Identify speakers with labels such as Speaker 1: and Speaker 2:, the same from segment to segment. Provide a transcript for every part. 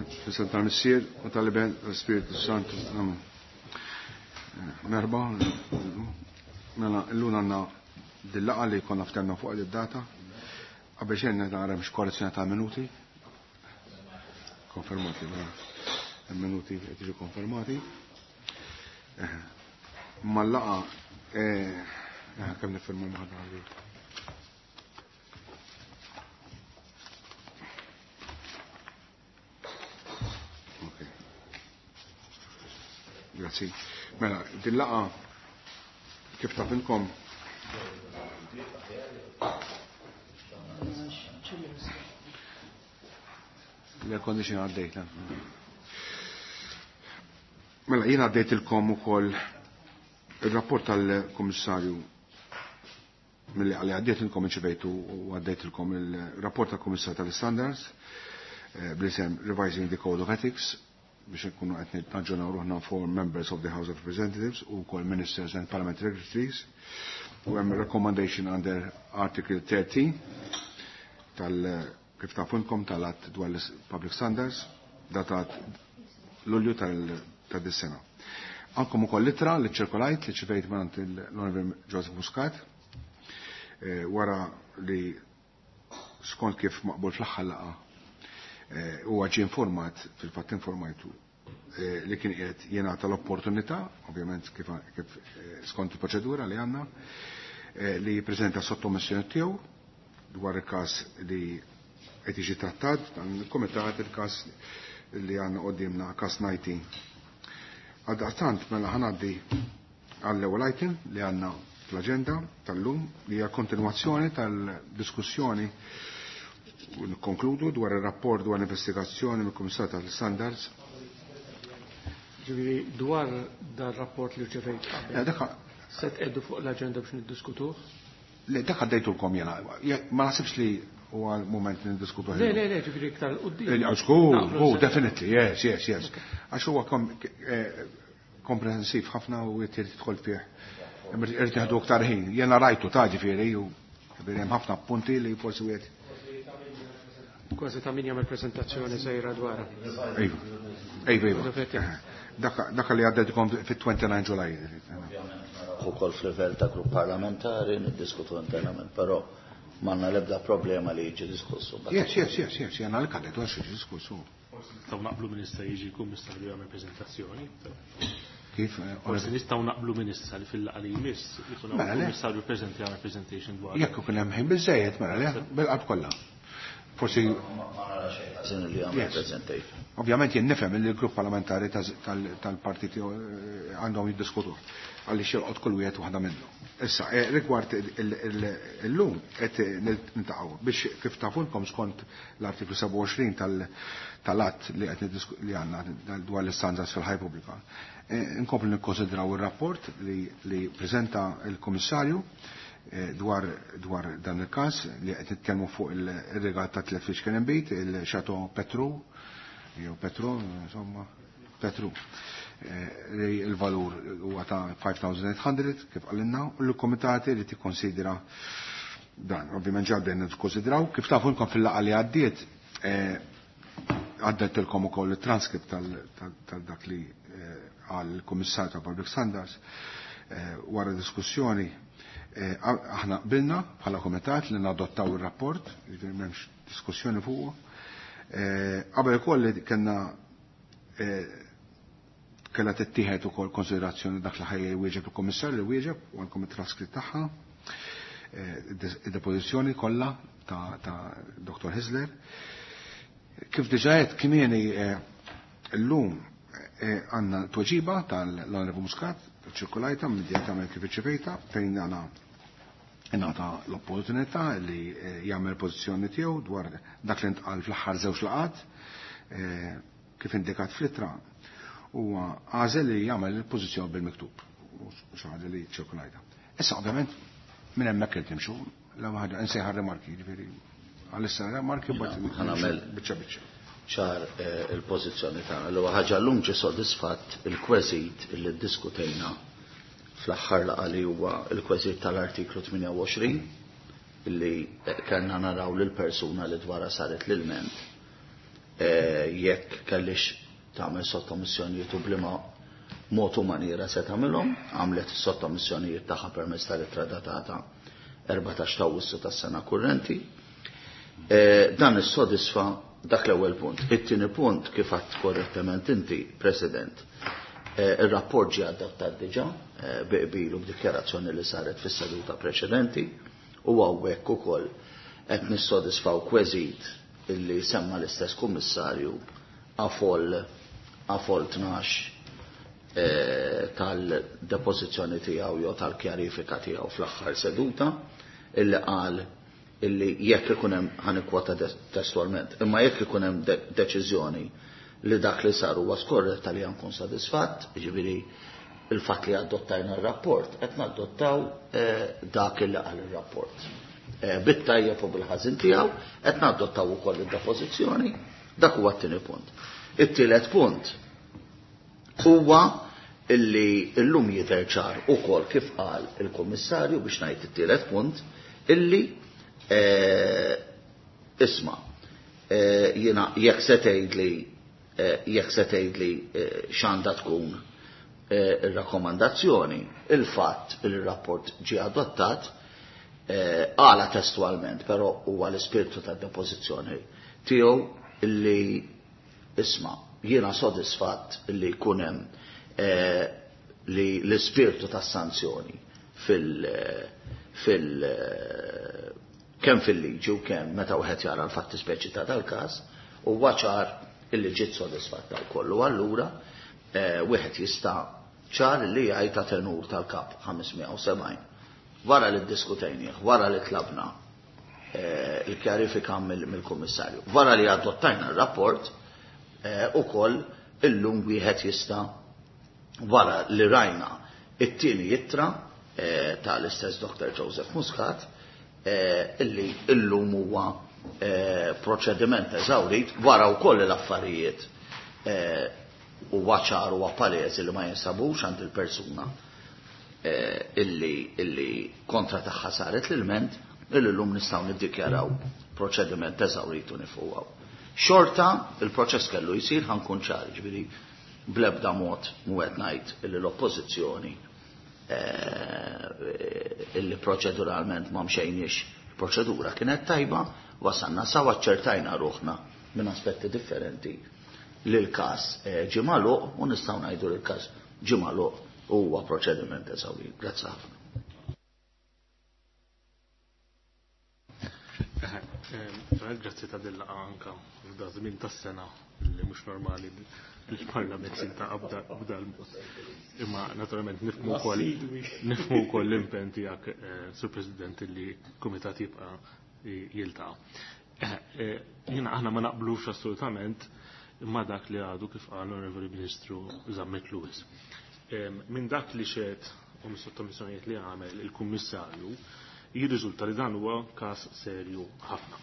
Speaker 1: F'isem tal-Missier u tal-Iben tal-Spiritu Santu. Amen. Merba, mela llum għandna dil-laqgħa li konna ftemna fuq id-data. Qabel xejn nara mhux korrezzjoni ta' minuti. Konfermati, mela. Minuti qed jiġu konfermati. Mal-laqgħa kemm nifirmu maħdar Grazzi. Mela, din laqa kif tafilkom L-air condition għaddejt. Mela, jien għaddejtilkom ukoll il-rapport tal-Kummissarju mill għalli għaddejtilkom inċivejtu u għaddejtilkom il-rapport tal-Kummissarju tal-Standards bl-isem Revising the Code of Ethics biex nkunu qed naġġornaw ruħna for members of the House of Representatives u wkoll ministers and parliamentary secretaries. U hemm recommendation under Article 13 tal kif tafunkom tal-att dwar l-Public Standards datat Lulju ta' dis-sena. Għandkom ukoll ittra li ċirkolajt li ċivejt mingħand l-Onorevoli Joseph Muscat wara li skont kif maqbul fl-aħħar laqgħa huwa ġie informat, fil-fatt informajtu li kien qiegħed jingħata l-opportunità, ovvjament kif skont il-proċedura li għandna, li jippreżenta sottomissjoni tiegħu dwar il-każ li qed jiġi trattat dan il-kumitat, il-każ li għandna qudiemna, każ 19. Għaldaqstant mela ħanaddi għall-ewwel item li għandna fl-aġenda tal-lum li hija kontinwazzjoni tal-diskussjoni u nikkonkludu dwar ir-rapport dwar l-investigazzjoni mill-Kummissar tal-Standards.
Speaker 2: Ġifieri dwar dar rapport li rċevejt qabel. Se tqegħdu fuq l-aġenda biex niddiskutuh?
Speaker 1: Le, dak għaddejtulkom jiena. Ma naħsibx li huwa l-mument li niddiskutuh.
Speaker 2: Le, le, le, ġifieri iktar 'l quddiem.
Speaker 1: Żgur, definitely, yes, yes, yes. Għax huwa komprensiv ħafna u jrid tidħol fih. Irid nieħdu aktar ħin. Jiena rajtu ta' ġifieri u hemm ħafna punti li forsi wieħed
Speaker 2: Kważi ta' min jagħmel prezentazzjoni sejra dwar.
Speaker 1: Iva. Iva, iva. Dak li għaddejtkom fit-29 Ġulaj.
Speaker 3: Ukoll f'livell ta' grupp parlamentari niddiskutu internament, però m'għandna l-ebda problema li jiġi diskussu.
Speaker 1: Yes, yes, yes, yes, jena li kadet għax jiġi diskussu.
Speaker 4: Forsi nistgħu naqblu min issa jiġi l-Kummissarju jagħmel preżentazzjoni.
Speaker 1: Kif?
Speaker 4: Forsi nistgħu naqblu min issa li fil-laqgħa li jmiss ikun hawn il-Kummissarju preżenti jagħmel presentation dwar.
Speaker 1: Jekk ikun hemm ħin biżejjed mela le, bil-qalb kollha. Forsi
Speaker 3: ma nara xejn ħażin li jagħmel presentation.
Speaker 1: Ovvjament jien nifhem li l-grupp parlamentari tal-partiti għandhom jiddiskutu għaliex jolqot kull wieħed waħda minnhom. Issa, rigward illum qed niltaqgħu biex kif tafulkom skont l-artiklu 27 tal-att li qed li għandna dwar l-istandards fil-ħajja pubblika. Nkomplu nikkonsidraw ir-rapport li preżenta l-Kummissarju dwar dan il-każ li qed nitkellmu fuq il-regat ta' tliet fliexken inbid, il-Chateau Petru, jew Petru, insomma, Petru, li l-valur huwa ta' 5,800 kif qalilna, u l-kumitat irid jikkonsidra dan. Ovvjament ġa bdejna nikkonsidraw, kif tafu nkom fil-laqgħa li għaddiet, għaddejtilkom ukoll it-transkript tal-dak li qal il-Kummissarju ta' Public Standards wara diskussjoni. Aħna qbilna bħala komitat li nadottaw ir-rapport, jiġifieri m'hemmx diskussjoni fuqu. Qabel ukoll li kellna kellha tittieħed ukoll konsiderazzjoni dak li ħajja jwieġeb il-Kummissarju li wieġeb u għandkom it-traskritt tagħha, id-depożizzjoni kollha ta' Dr. Hyzler. Kif diġà qed kmieni llum għandna tweġiba tal-Onorevoli Muscat, ċirkulajta immedjatament kif irċevejta, fejn għandna ingħata l-opportunità li jagħmel pożizzjoni tiegħu dwar dak li ntqal fl-aħħar żewġ laqgħat, kif indikat fl-ittra, huwa għażel li jagħmel il-pożizzjoni bil-miktub, u xi ħaġa li ċirkulajta. Issa ovvjament minn hemmhekk irid nimxu, l-ewwel ħaġa insejħa r-rimarki, jiġifieri għalissa rimarki mbagħad
Speaker 3: Ħanagħmel
Speaker 1: biċċa biċċa.
Speaker 3: ċar il-pożizzjoni tagħna. L-ewwel ħaġa llum ġie sodisfatt il-kweżit li ddiskutejna fl-aħħar laqgħa li huwa l-kweżit tal-artiklu 28 illi kellna naraw lil persuna li dwarha saret l-ilment. Jekk kellix tagħmel sottomissjonijiet u bliema mod u maniera se tagħmilhom, għamlet is-sottomissjonijiet tagħha permezz tal-ittra datata 14 ta' Awwissu tas-sena kurrenti. Dan issodisfa dak l-ewwel punt. It-tieni punt, kif għadt korrettament inti, President, ir-rapport ġie adottat diġà bi qbil u b'dikjarazzjoni li saret fis-seduta preċedenti u hawnhekk ukoll qed nissodisfaw kweżit illi semma l-istess kummissarju a fol 12 tal-depożizzjoni tiegħu jew tal-kjarifika tiegħu fl-aħħar seduta, illi qal illi jekk ikun hemm, ħa nikkwota testualment, imma jekk ikun hemm deċiżjoni li dak li sar huwa skorretta li nkun sodisfatt, jiġifieri il-fatt li adottajna r-rapport, qed nadottaw dak li qal ir-rapport. Bit-tajjeb u bil-ħażin tiegħu, qed nadottaw ukoll id-depożizzjoni, dak huwa t-tieni punt. It-tielet punt huwa illi illum jidher ċar ukoll kif qal il-Kummissarju, biex ngħid it-tielet punt, illi isma' jiena jekk se tgħidli x'għandha tkun ir-rakkomandazzjoni, il-fatt li r-rapport ġie adottat, għala testualment, però huwa l-ispirtu tad-depożizzjoni tiegħu, illi isma' jiena sodisfatt illi jkun hemm li l-ispirtu tas-sanzjoni fil kemm fil-liġi u kemm meta wieħed jara l-fatti speċi ta' dal-każ huwa ċar illi ġiet sodisfatta wkoll. U allura wieħed jista' ċar li jgħid ta' tenur tal-kap 570. Wara li ddiskutejnieh, wara li tlabna il-kjarifika mill-Kummissarju, wara li adottajna r-rapport, ukoll illum wieħed jista', wara li rajna it-tieni ittra tal-istess Dr. Joseph Muscat, illi illum huwa proċediment eżawrit, wara wkoll l-affarijiet huwa ċar u palesi li ma jinsabux għand il-persuna illi kontra tagħha saret l-ilment, illi llum nistgħu niddikjaraw proċediment eżawrit u nieqfu. Xorta il-proċess kellu jsir, ħa nkun ċar, ġifieri blebda mod mhu qed ngħid illi l-oppożizzjoni illi proċeduralment ma mxejniex, proċedura kienet tajba, wasanna sa ċertajna ruħna minn aspetti differenti li l-każ ġie magħluq u nistgħu ngħidu li l-każ ġie magħluq u huwa proċediment eżawrit. Grazzi ħafna.
Speaker 4: Grazzi ta' dil-laqgħa anka f'da żmien tas-sena li mhux normali il-Parlament jiltaqa' b'da l-mod. Imma naturalment nifhmu wkoll l-impenn tiegħek, Sur President, li kumitat jibqa' jiltaqa'. Jiena aħna ma naqblux assolutament imma dak li għadu kif qal l-Onorevoli Ministru Zammit Lewis. Minn dak li xehed u mis-sottomissjonijiet li għamel il-Kummissarju jirriżulta li dan huwa każ serju ħafna.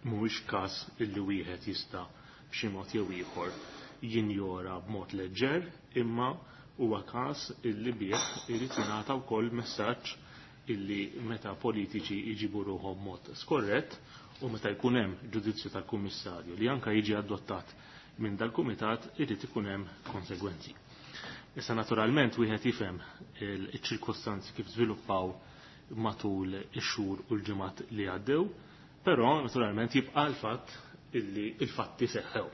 Speaker 4: Mhuwiex każ illi wieħed jista' b'xi mod jew ieħor jinjora b'mod leġġer, imma huwa każ illi bih irid jingħata wkoll messaġġ illi meta politiċi jġibu ruħhom mod skorrett u meta jkun hemm ġudizzju tal-Kummissarju li anka jiġi adottat minn dal-Kumitat, irid ikun hemm konsegwenzi. Issa naturalment wieħed jifhem il-ċirkostanzi kif żviluppaw matul ix-xhur u l-ġimgħat li għaddew, però naturalment jibqa' l-fatt illi il-fatti seħħew.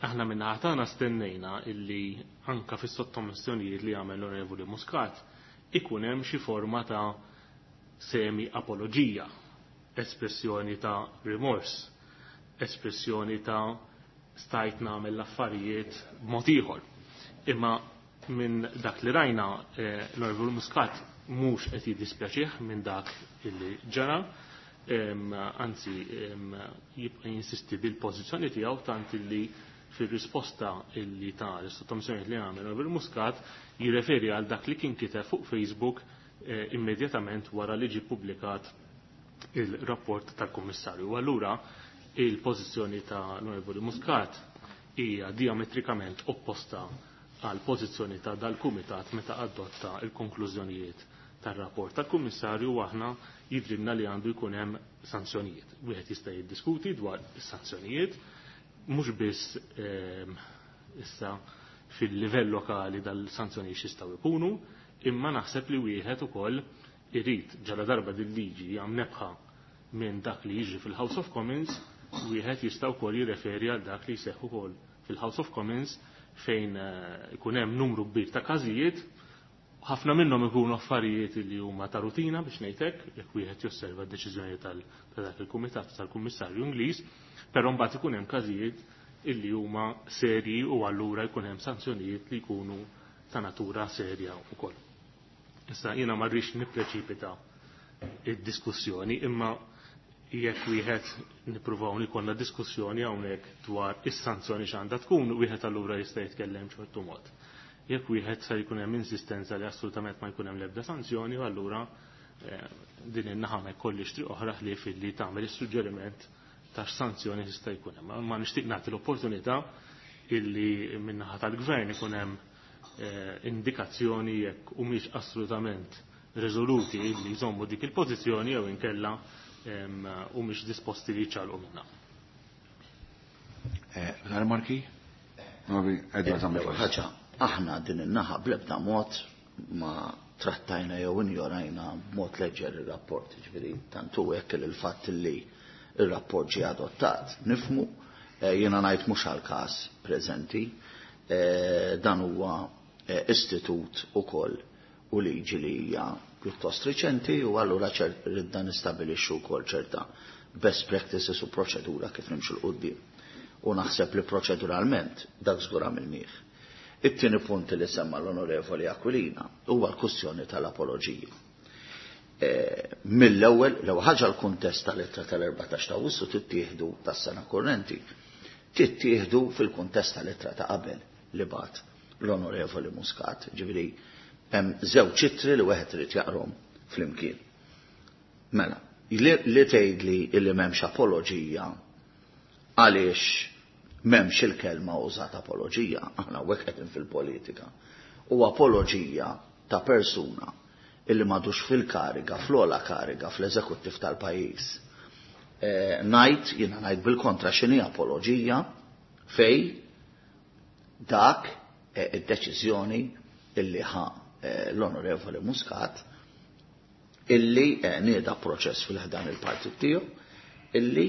Speaker 4: Aħna minn tagħna stennejna illi anka fis-sottomissjonijiet li għamel l-Onorevoli Muscat ikun hemm xi forma ta' semi apoloġija, espressjoni ta' rimors, espressjoni ta' stajt nagħmel l-affarijiet b'mod ieħor. Imma minn dak li rajna, l-Onorevoli Muscat mhux qed jiddispjaċih minn dak illi ġara, anzi jibqa' jinsisti bil-pożizzjoni tiegħu, tant illi fir-risposta illi ta' l-sottomissjoni li għamel Onorevoli Muscat jirreferi għal dak li kien kiteb fuq Facebook immedjatament wara li ġie publikat il-rapport tal-Kummissarju. U allura il-pożizzjoni ta' l-Onorevoli Muscat hija diametrikament opposta għal pożizzjoni ta' dal-Kumitat meta adotta il-konklużjonijiet tar-rapport tal-Kummissarju, u aħna Jidhrilna li għandu jkun hemm sanzjonijiet. Wieħed jista' jiddiskuti dwar is-sanzjonijiet, mhux biss issa fil-livell lokali dal-sanzjonijiet x'jistgħu jkunu, imma naħseb li wieħed ukoll irid ġala darba din liġi hija mnebbħa minn dak li jiġri fil-House of Commons, wieħed jista' wkoll jirreferi għal dak li jseħħ ukoll fil-House of Commons fejn ikun hemm numru kbir ta' każijiet, ħafna minnhom ikunu affarijiet li huma ta' rutina biex ngħid hekk, jekk wieħed josserva d-deċiżjoni ta' dak il-kumitat tal-Kummissarju Ingliż, però mbagħad ikun hemm każijiet illi huma serji u allura jkun hemm sanzjonijiet li jkunu ta' natura serja wkoll. Issa jiena ma rridx nippreċipita id-diskussjoni, imma jekk wieħed nippruvaw nikollna diskussjoni hawnhekk dwar is-sanzjoni x'għandha tkun, wieħed allura jista' jitkellem ċertu mod. Jekk wieħed se jkun hemm insistenza li assolutament ma jkun hemm l-ebda sanzjoni, allura din in-naħa ma jkollix triq oħra ħlief illi tagħmel is-suġġeriment ta' x'sanzjoni tista' jkun hemm. Ma nixtieq nagħti l-opportunità illi min-naħa tal-gvern ikun hemm indikazzjoni jekk humiex assolutament riżoluti illi jżommu dik il-pożizzjoni jew inkella humiex disposti li jċalqu minnha.
Speaker 1: Marki?
Speaker 3: Ħaġa, aħna din in-naħa bl-ebda mod ma trattajna jew injorajna b'mod leġġer ir-rapport, ġifieri tant hu hekk li l-fatt li r-rapport ġie adottat. Nifmu, jiena ngħid mhux għall-każ preżenti, dan huwa istitut ukoll u liġi li hija pjuttost riċenti u allura ridna nistabilixxu wkoll ċerta best practices u proċedura kif nimxu 'l quddiem. U naħseb li proċeduralment dak żgur għamilnieh. It-tieni punt li semma l-Onorevoli Aquilina huwa l-kwistjoni tal-apoloġija. Mill-ewwel, l-ewwel ħaġa l-kuntest tal-ittra tal-14 ta' Awwissu tittieħdu tas-sena kurrenti, tittieħdu fil-kuntest tal-ittra ta' qabel li bat l-Onorevoli Muscat. Ġifieri hemm żewġ ittri li wieħed irid jaqrom flimkien. Mela, li tgħidli li m'hemmx apoloġija għaliex m'hemmx il-kelma użat apoloġija, aħna hawnhekk qegħdin fil-politika. U apoloġija ta' persuna illi m'għadux fil-kariga, fl-ogħla kariga fl-eżekuttiv tal-pajjiż. Ngħid, jiena ngħid bil-kontra x'inhi apoloġija fej dak id-deċiżjoni illi ħa l-Onorevoli Muscat illi nieda proċess fil-ħdan il-partit tiegħu illi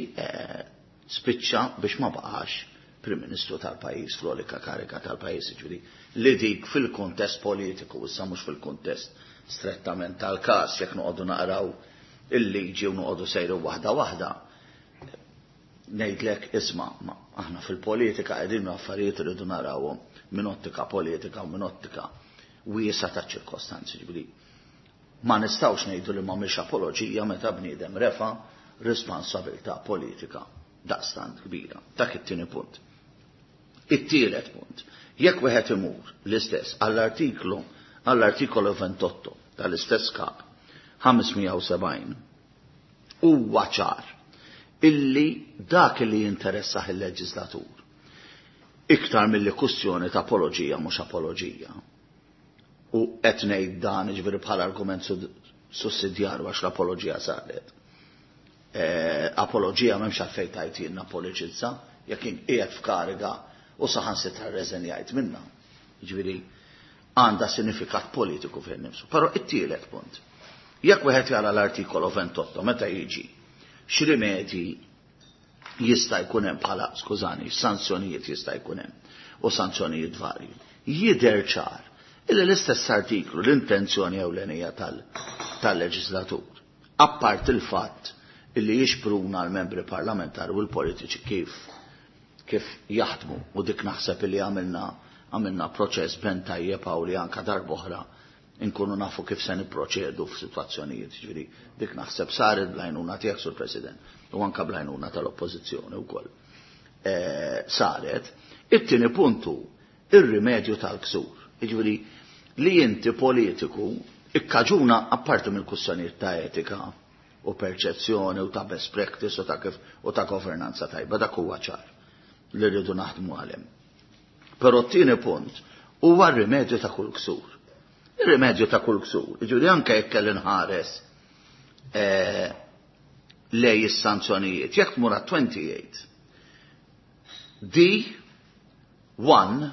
Speaker 3: spiċċa biex ma baqax Prim Ministru tal-pajjiż, fl-olika kariga tal-pajjiż, ġifieri li dik fil-kuntest politiku, issa mhux fil-kuntest strettament tal-każ, jekk noqogħdu naqraw il-liġi u noqogħdu sejru waħda waħda, ngħidlek isma' aħna fil-politika qegħdin affarijiet irridu narawhom minn ottika politika u minn ottika wiesa ta' ċirkostanzi, ġifieri ma nistgħux ngħidu li m'għamilx apoloġija meta bniedem refa' responsabilità politika daqstant kbira. Dak it-tieni punt. It-tielet punt, jekk wieħed imur l-istess għall-artikolu 28 tal-istess kap 570 huwa ċar illi dak li jinteressah il-leġislatur iktar milli kwestjoni ta' apoloġija mhux apoloġija. U qed ngħid dan jiġifieri bħala argument sussidjarju għax l-apoloġija saret. Apoloġija m'hemmx għalfejn tajt jien napoloġizza jekk jien qiegħed f'kariga u saħansitra rreżenjajt minnha. Jiġifieri għandha sinifikat politiku fih innifsu. Però it-tielet punt. Jekk wieħed jara l-artikolu 28 meta jiġi x'rimedji jista' jkun hemm bħala, skużani, sanzjonijiet jista' jkun hemm u sanzjonijiet varji. Jidher ċar illi l-istess artiklu l-intenzjoni ewlenija tal-leġislatur, appart il-fatt illi jixpruna l-membri parlamentari u l-politiċi kif jaħdmu, u dik naħseb illi għamilna proċess ben tajjeb hawn li anka darb'oħra inkunu nafu kif se nipproċedu f'sitwazzjonijiet, ġifieri dik naħseb saret bl-għajnuna tiegħek, Sur President, u anka bl-għajnuna tal-Oppożizzjoni wkoll. Saret. It-tieni puntu ir-rimedju tal-ksur. Jiġifieri li inti politiku ikkaġuna apparti mill-kwistjonijiet ta' etika u perċezzjoni u ta' best practice u ta' kif u ta' governanza tajba, dak huwa ċar li rridu naħdmu għalhem. Però t-tieni punt huwa r-rimedju ta' kull ksur. Ir-rimedju ta' kull ksur, jiġifieri anke jekk kelli nħares Lej is-sanzjonijiet. Jekk tmur 28 D 1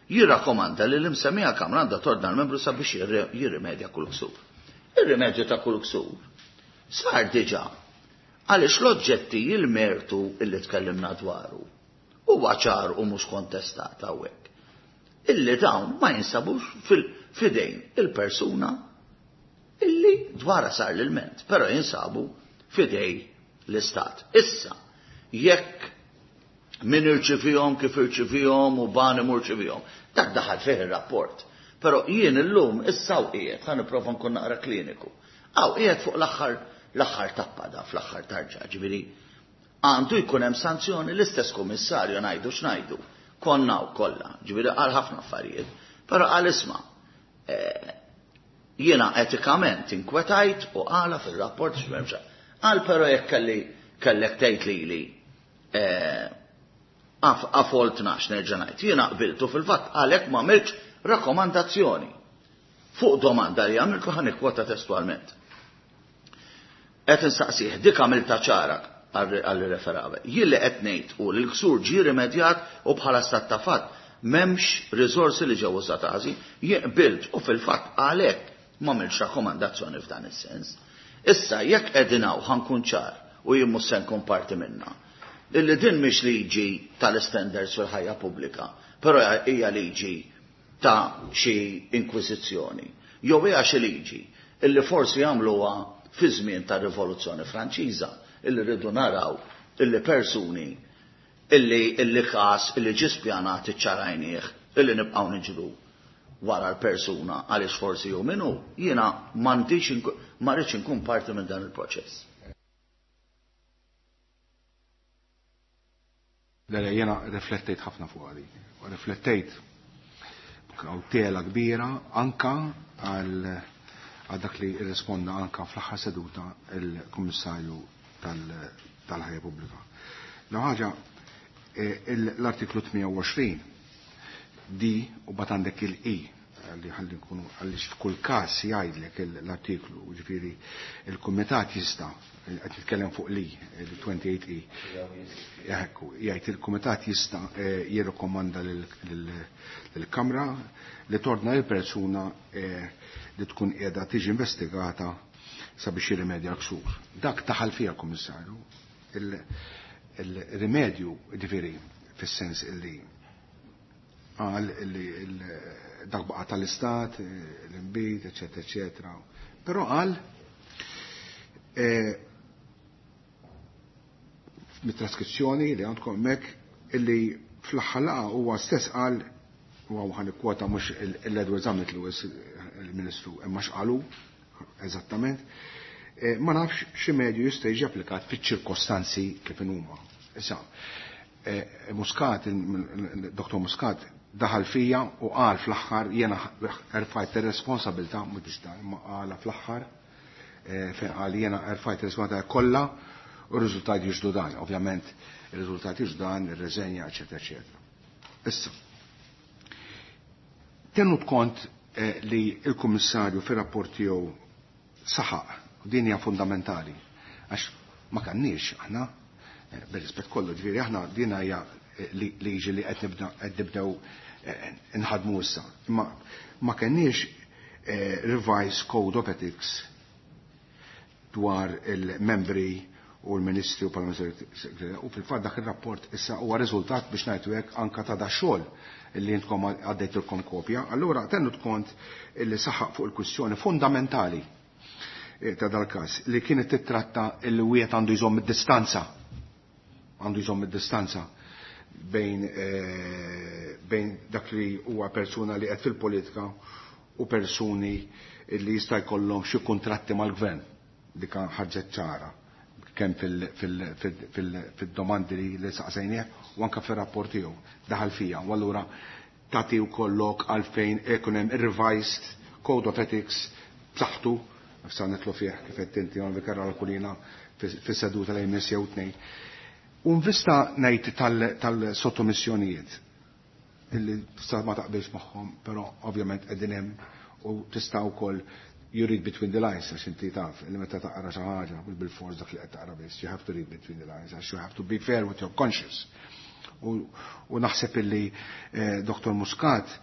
Speaker 3: jirrakkomanda li l-imsemmija Kamra għandha tordna l-membru sabiex jirrimedja kull ksur. Ir-rimedju ta' kull ksur sar diġà għaliex l-oġġetti, il-mertu illi tkellimna dwaru huwa ċar u mhux kontestat hawnhekk illi dawn ma jinsabux fidejn il-persuna illi dwara sar l-ilment, però jinsabu fidej l-Istat. Issa, jekk min irċivihom, kif irċivihom u bani murċivihom, dak daħal fih ir-rapport. Però jien illum issa u qiegħed ħa nipprova nkun naqra kliniku. Hawn qiegħed fuq l-aħħar tappa da fl-aħħar tarġa, ġifieri għandu jkun hemm sanzjoni. L-istess kummissarju, ngħidu x'ngħidu, konna u kollha, ġifieri qal ħafna affarijiet, però qal, isma', jiena etikament inkwetajt u qala fil-rapport x'memxa. Qal però jekk kelli kellek tgħid lili għafol 12 nerġa' ngħid, jiena qbiltu fil-fatt għalhekk ma għamiltx rakkomandazzjoni. Fuq domanda li għamiltu, ħa nikkwota testualment. Qed insaqsih, dik għamilta ċara għalli referave. Jien li qed ngħid u li l-ksur ġie rimedjat u bħala stat ta' fatt m'hemmx riżorsi li ġew użati, jien qbilt u fil-fatt għalhekk ma għamilx rakkomandazzjoni f'dan is-sens. Issa jekk qegħdin hawn, ħa nkun ċar u jien mhux se nkun parti minna. Illi din mhix liġi tal-standards fil-ħajja pubblika, però hija liġi ta' xi inkwiżizzjoni. Jew hija xi liġi illi forsi jagħmluha fi żmien ta' Rivoluzzjoni Franċiża, illi rridu naraw illi persuni illi każ illi ġie spjanat, iċċarajnieh, illi nibqgħu niġru wara l-persuna għaliex forsi hu minnu, jiena m'għandix, ma rridx inkun parti minn dan il-proċess.
Speaker 1: Le, jiena riflettejt ħafna fuq għadi. U riflettejt tela kbira anka għal dak li risponda anka fl-aħħar seduta il-Kummissarju tal-Ħajja Pubblika. La ħaġa, l-artiklu 28 D u bat għandek il-I li ħalli nkunu, għaliex f'kull każ jgħidlek l-artiklu, ġifieri il-kumitat jista', qed nitkellem fuq li il-28 E. Ekku, jgħid il-kumitat jista' jirrikomanda lill-Kamra li torna il-persuna li tkun qiegħda tiġi investigata sabiex jirrimedja l-ksur. Dak daħal fija l-Kummissarju. Il-rimedju, ġifieri, fis-sens illi qal illi dak baqa tal-istat, l-imbit, eccetera, eccetera. Però qal mit-traskrizzjoni li għandkom hemmhekk illi fl-aħħar laqgħa huwa stess qal, u hawn ħa nikkwota mhux l-Edward Zammit Lewis il-Ministru, imma x'qalu eżattament, ma nafx xi medju jista' jiġi applikat fiċ-ċirkostanzi kif huma. Issa, Muscat, il-Dr. Muscat daħal fija u qal fl-aħħar jiena erfajt ir-responsabilità, mhux biex dan, imma qala fl-aħħar fejn qal jiena erfajt ir-responsabilità kollha u r-riżultati jiġdu dan. Ovvjament ir-riżultati jiġdu dan, ir-reżenja, eċetera, eċetera. Issa, tenut kont li il-Kummissarju fir-rapport tiegħu saħaq, u din hija fundamentali, għax ma kanniex aħna, bir-rispett kollu, ġifieri aħna din hija liġi li qed nibdew nħadmu issa. Imma ma kenniex revised code of ethics dwar il-membri u l-ministri u parlamentari, u fil-fatt dak il-rapport issa huwa riżultat, biex ngħidu hekk, anka ta' da xogħol li intkom għaddejtilkom kopja. Allura tenut kont li saħaq fuq il-kwistjoni fundamentali ta' dal-każ li kienet titratta il wieħed għandu jżomm id-distanza għandu jżomm id-distanza bejn dak li huwa persuna li qed fil-politika u persuni li jista' jkollhom xi kuntratti mal-gvern. Dika ħarġet ċara kemm fil-domandi li saqsejnieh u anke fir-rapport tiegħu daħal fija. U allura tagħti wkoll lok għalfejn ikun hemm revised code of ethics b'saħħtu, sa nitlu fih kif qed inti vikarra l-kulina fis-seduta li jmiss jew tnejn. U nvista ngħid tal-sottomissjonijiet illi tista' ma taqbilx magħhom, però ovvjament qegħdin hemm u tista' wkoll. You read between the lines, għax inti taf, li meta taqra xi ħaġa, mhux bil-fors dak li qed taqra biss, you have to read between the lines, għax you have to be fair with your conscience. U naħseb illi Dr. Muscat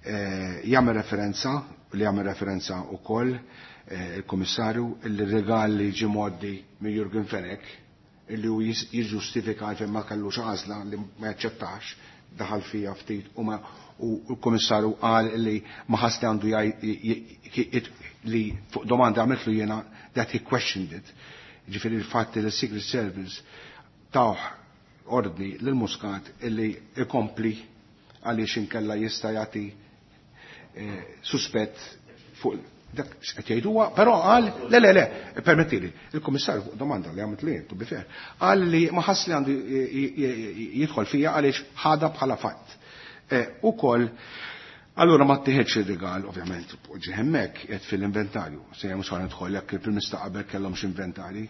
Speaker 1: jagħmel referenza, li jagħmel referenza wkoll il-Kummissarju, illi regal li ġie mgħoddi minn Jurgen Fenech, illi hu jiġġustifika għalfejn ma kellux għażla li ma jaċċettax, daħal fija ftit u ma u l-Kummissarju qal li ma ħass li għandu jgħid li fuq domanda għamiltlu jiena that he questioned it. Ġifieri l-fatt li s-Secret Service tawh ordni lil Muscat illi ikompli għaliex inkella jista' jagħti suspett fuq dak x'qed jgħiduha, però qal le le le, permettili, il-Kummissarju fuq domanda li għamilt li, to be fair, qal li ma ħass li għandu jidħol fija għaliex ħadha bħala fatt. Ukoll, allura ma ttieħedx ir-rigal, ovvjament, poġġi hemmhekk qed fil-inventarju. Se mhux ħa nidħol jekk il-Prim Ministru qabel kellhomx inventari.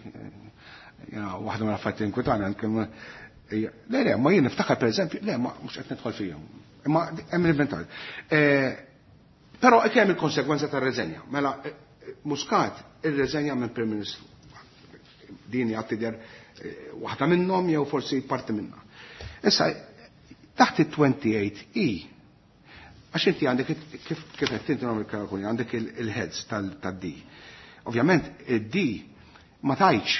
Speaker 1: Waħda mill-affarijiet inkwetana nkellmu le le, ma jien niftakar pereżempju, le ma mhux qed nidħol fihom. Imma hemm l-inventarju. Però hemm il-konsegwenza tar-reżenja. Mela Muscat irreżenja minn Prim Ministru. Din hija tidher waħda minnhom jew forsi parti minnha. Issa taħt it-28 E, għax inti għandek kif qed tinti nagħmel kalkoli, għandek il-heads tad-D. Ovvjament id-D ma tajtx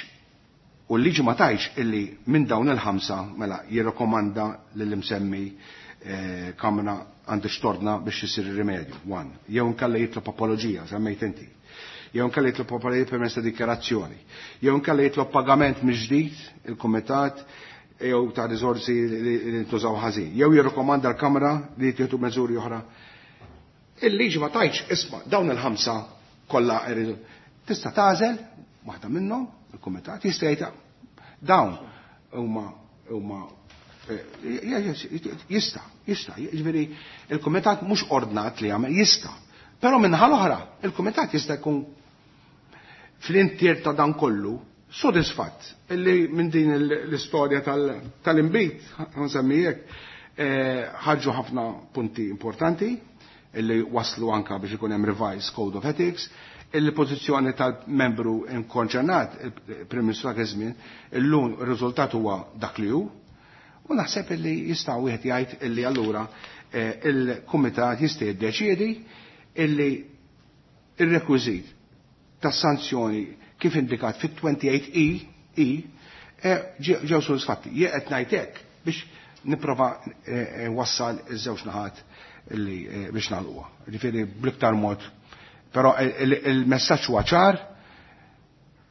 Speaker 1: u l-liġi ma tajtx illi minn dawn il-5 mela jirrekomanda lill-imsemmi kamra għandu xtorna biex isir ir-rimedju, one. Jew inkella jitlob apoloġija, semmejt inti. Jew inkella jitlob apoloġija permezz ta' dikjarazzjoni. Jew inkella jitlob pagament mill-ġdid il-kumitat jew ta' riżorsi li ntużaw ħażin. Jew jirrikomanda l-Kamra li jittieħdu miżuri oħra. Il-liġi ma tajtx isma' dawn il-5 kollha jridu. Tista' tagħżel waħda minnhom il-kumitat jista' jgħid dawn huma jista', jista', jiġifieri il-kumitat mhux ordnat li jagħmel, jista'. Però minnaħa l-oħra, il-kumitat jista' jkun fl-intier ta' dan kollu sodisfatt illi minn din l-istorja tal-inbid, nsemmi hekk, ħarġu ħafna punti importanti illi waslu anka biex ikun hemm revised Code of Ethics, il-pożizzjoni tal-membru inkonċernat, il-Prim Ministru dak iż-żmien, illum ir-riżultat huwa dak li hu, u naħseb illi jista' wieħed jgħid illi allura il-kumitat jista' jiddeċiedi illi ir-rekwiżit tas-sanzjoni kif indikat fit-28 E, ġew sodisfatti. Jien qed ngħid hekk biex nipprova wassal iż-żewġ naħat illi biex nagħlquha. Ġifieri bl-iktar mod. Però il-messaġġ huwa ċar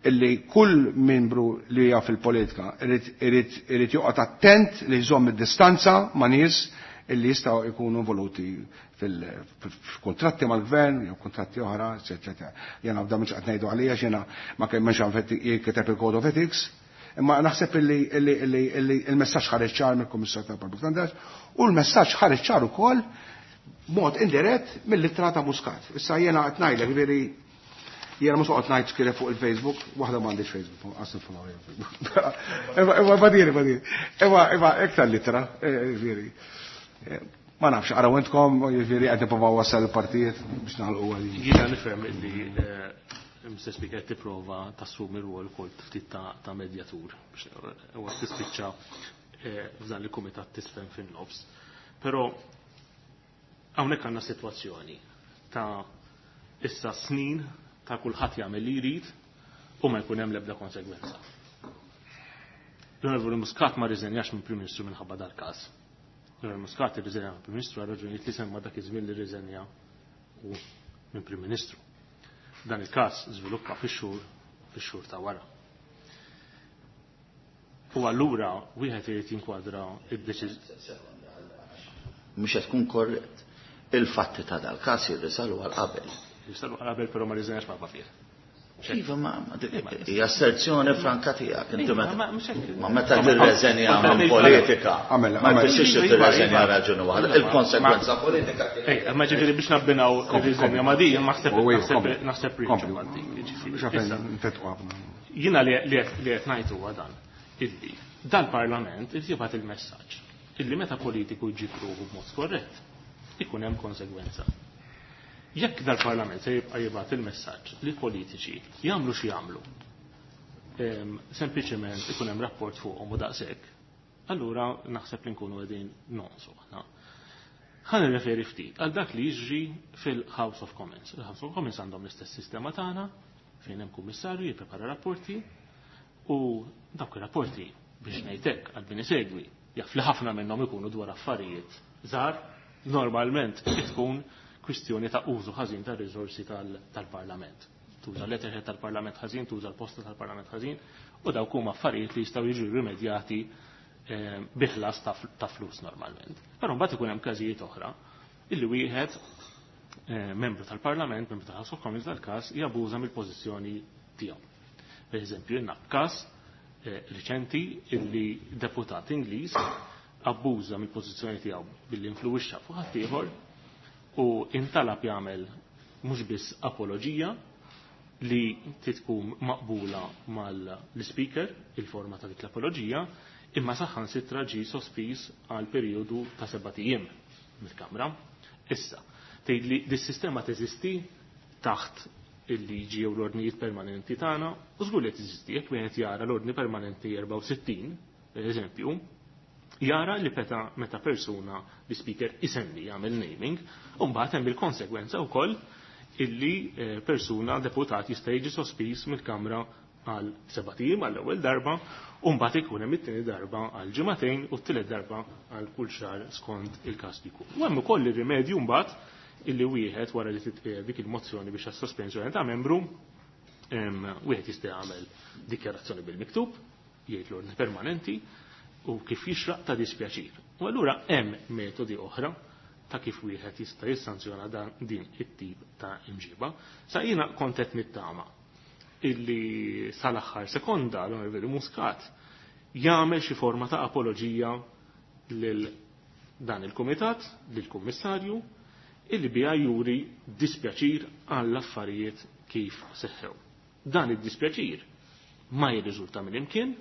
Speaker 1: illi kull membru li hija fil-politika irid joqgħod attent li jżomm id-distanza ma' nies illi jistgħu jkunu involuti fil-kontratti mal-gvern jew kontratti oħra, eċetera. Jiena f'dan mhux qed ngħidu għalija x'jiena ma kemm mhux jinkiteb il-Code of Ethics, imma naħseb illi il-messaġġ ħareġ ċar mill-Kummissarju tal-Public Standards u l-messaġġ ħareġ ċar ukoll b'mod indirett mill-ittra ta' Muscat. Issa jiena qed ngħidlek, ġifieri jiena mhux qed ngħid x'kien fuq il-Facebook, waħda m'għandix Facebook, qas niffollow Facebook. Imma, imma, badiri, badiri. Imma, imma, iktar littra, ġifieri. Ma nafx, araw intkom, jiġifieri qed nipprovaw wassal il-partijiet biex nagħlqu għalih.
Speaker 4: Jiena nifhem illi Mr. Speaker tipprova tassumi rwol ukoll ftit ta' medjatur biex huwa tispiċċa f'dan il-kumitat tisfen fin-nofs. Però hawnhekk għandna sitwazzjoni ta' issa snin ta' kulħadd jagħmel li jrid u ma jkun hemm l-ebda konsegwenza. L-Onorevoli Muscat ma rriżenjax minn Prim Ministru minħabba dal-każ. L-Onorevoli Muscat irriżenja minn Prim Ministru għal raġunijiet li semma dak iż-żmien li rriżenja u minn Prim Ministru. Dan il-każ żviluppa fix-xhur ta' wara. U allura wieħed irid jinkwadra id-deċiż-
Speaker 3: Mhux qed tkun korrett. Il-fatti ta' dal-każ jirrisalu għal qabel.
Speaker 4: Jirrisalu għal qabel però ma rriżenjax ma' fih.
Speaker 3: Iva, ma hija asserzjoni franka tiegħek, inti
Speaker 4: Iva,
Speaker 3: meta
Speaker 4: ma mhux hekk.
Speaker 3: ma meta tirreżenja minn politika,
Speaker 1: Għamel,
Speaker 3: ma
Speaker 1: għamel.
Speaker 3: jfissirx li
Speaker 4: Iva,
Speaker 3: tirreżenja
Speaker 4: iva.
Speaker 3: raġuni waħda.
Speaker 4: Iva,
Speaker 3: Il-konsegwenza politika kien.
Speaker 4: Ej, ma ġifieri biex nabbinaw
Speaker 1: Kompli,
Speaker 4: ir-riżenja
Speaker 1: kompli.
Speaker 4: ma' din,
Speaker 1: U ejja, kompli.
Speaker 4: naħseb
Speaker 1: Kompli.
Speaker 4: riċ ma' din, jiġifieri.
Speaker 1: Biex għafen
Speaker 4: Issa,
Speaker 1: nfetqu ħafna.
Speaker 4: Jiena li qed ngħid huwa dan, illi dal-Parlament irid jibgħat il-messaġġ illi meta politiku jġib ruħu b'mod skorrett, ikun hemm konsegwenza. Jekk dal-Parlament se jibqa' jibgħat il-messaġġ li politiċi jagħmlu xi jagħmlu, sempliċement ikun hemm rapport fuqhom u daqshekk, allura naħseb li nkunu qegħdin nonqsu aħna. Ħa nirreferi ftit għal dak li jiġri fil-House of Commons. Il-House of Commons għandhom l-istess sistema tagħna fejn hemm kummissarju jipprepara rapporti u dawk ir-rapporti biex ngħidlek għal min isegwi jaf li ħafna minnhom ikunu dwar affarijiet żgħar, normalment tkun kwistjoni ta' użu ħażin ta' riżorsi tal-Parlament. Tuża l-letterhead tal-Parlament ħażin, tuża l-posta tal-Parlament ħażin, u dawk huma affarijiet li jistgħu jiġu rimedjati bi ħlas ta' flus normalment. Però mbagħad ikun hemm każijiet oħra illi wieħed membru tal-Parlament, membru tal-House of Commons dal-każ jabuża mill-pożizzjoni tiegħu. Per eżempju, jiena każ riċenti illi deputat Ingliż abbuża mill-pożizzjoni tiegħu billi influwixxa fuq ħaddieħor u intalab jagħmel mhux biss apoloġija li tkun maqbula mal-speaker, il-forma ta' dik l-apoloġija, imma saħansitra ġie sospiż għal perjodu ta' 7 ijiem mill-Kamra. Issa, tgħid li dis-sistema teżisti taħt il-liġi jew l-ordnijiet permanenti tagħna, u żgur li teżisti jekk wieħed jara l-ordni permanenti 64, per eżempju, jara li peta meta persuna li speaker isemmi jagħmel naming, u mbagħad hemm il-konsegwenza wkoll illi persuna deputat jista' jiġi sospiż mill-Kamra għal 7 ijiem għall-ewwel darba, u mbagħad ikun hemm it-tieni darba għal ġimagħtejn u t-tielet darba għal kull xahar skont il-każ li jkun. U hemm ukoll ir-rimedju mbagħad illi wieħed wara li titqiegħed dik il-mozzjoni biex għas-sospensjoni ta' membru, wieħed jista' jagħmel dikjarazzjoni bil-miktub, jgħid l-ordni permanenti u kif jixraq ta' dispjaċir. U allura hemm metodi oħra ta' kif wieħed jista' jissanzjona dan din it-tip ta' imġiba. Sa jiena kont qed nittama illi sal-aħħar sekonda l-Onorevoli Muscat jagħmel xi forma ta' apoloġija lil dan il-kumitat, lil kummissarju, illi biha juri dispjaċir għall affarijiet kif seħħew. Dan id-dispjaċir ma jirriżulta minn imkien,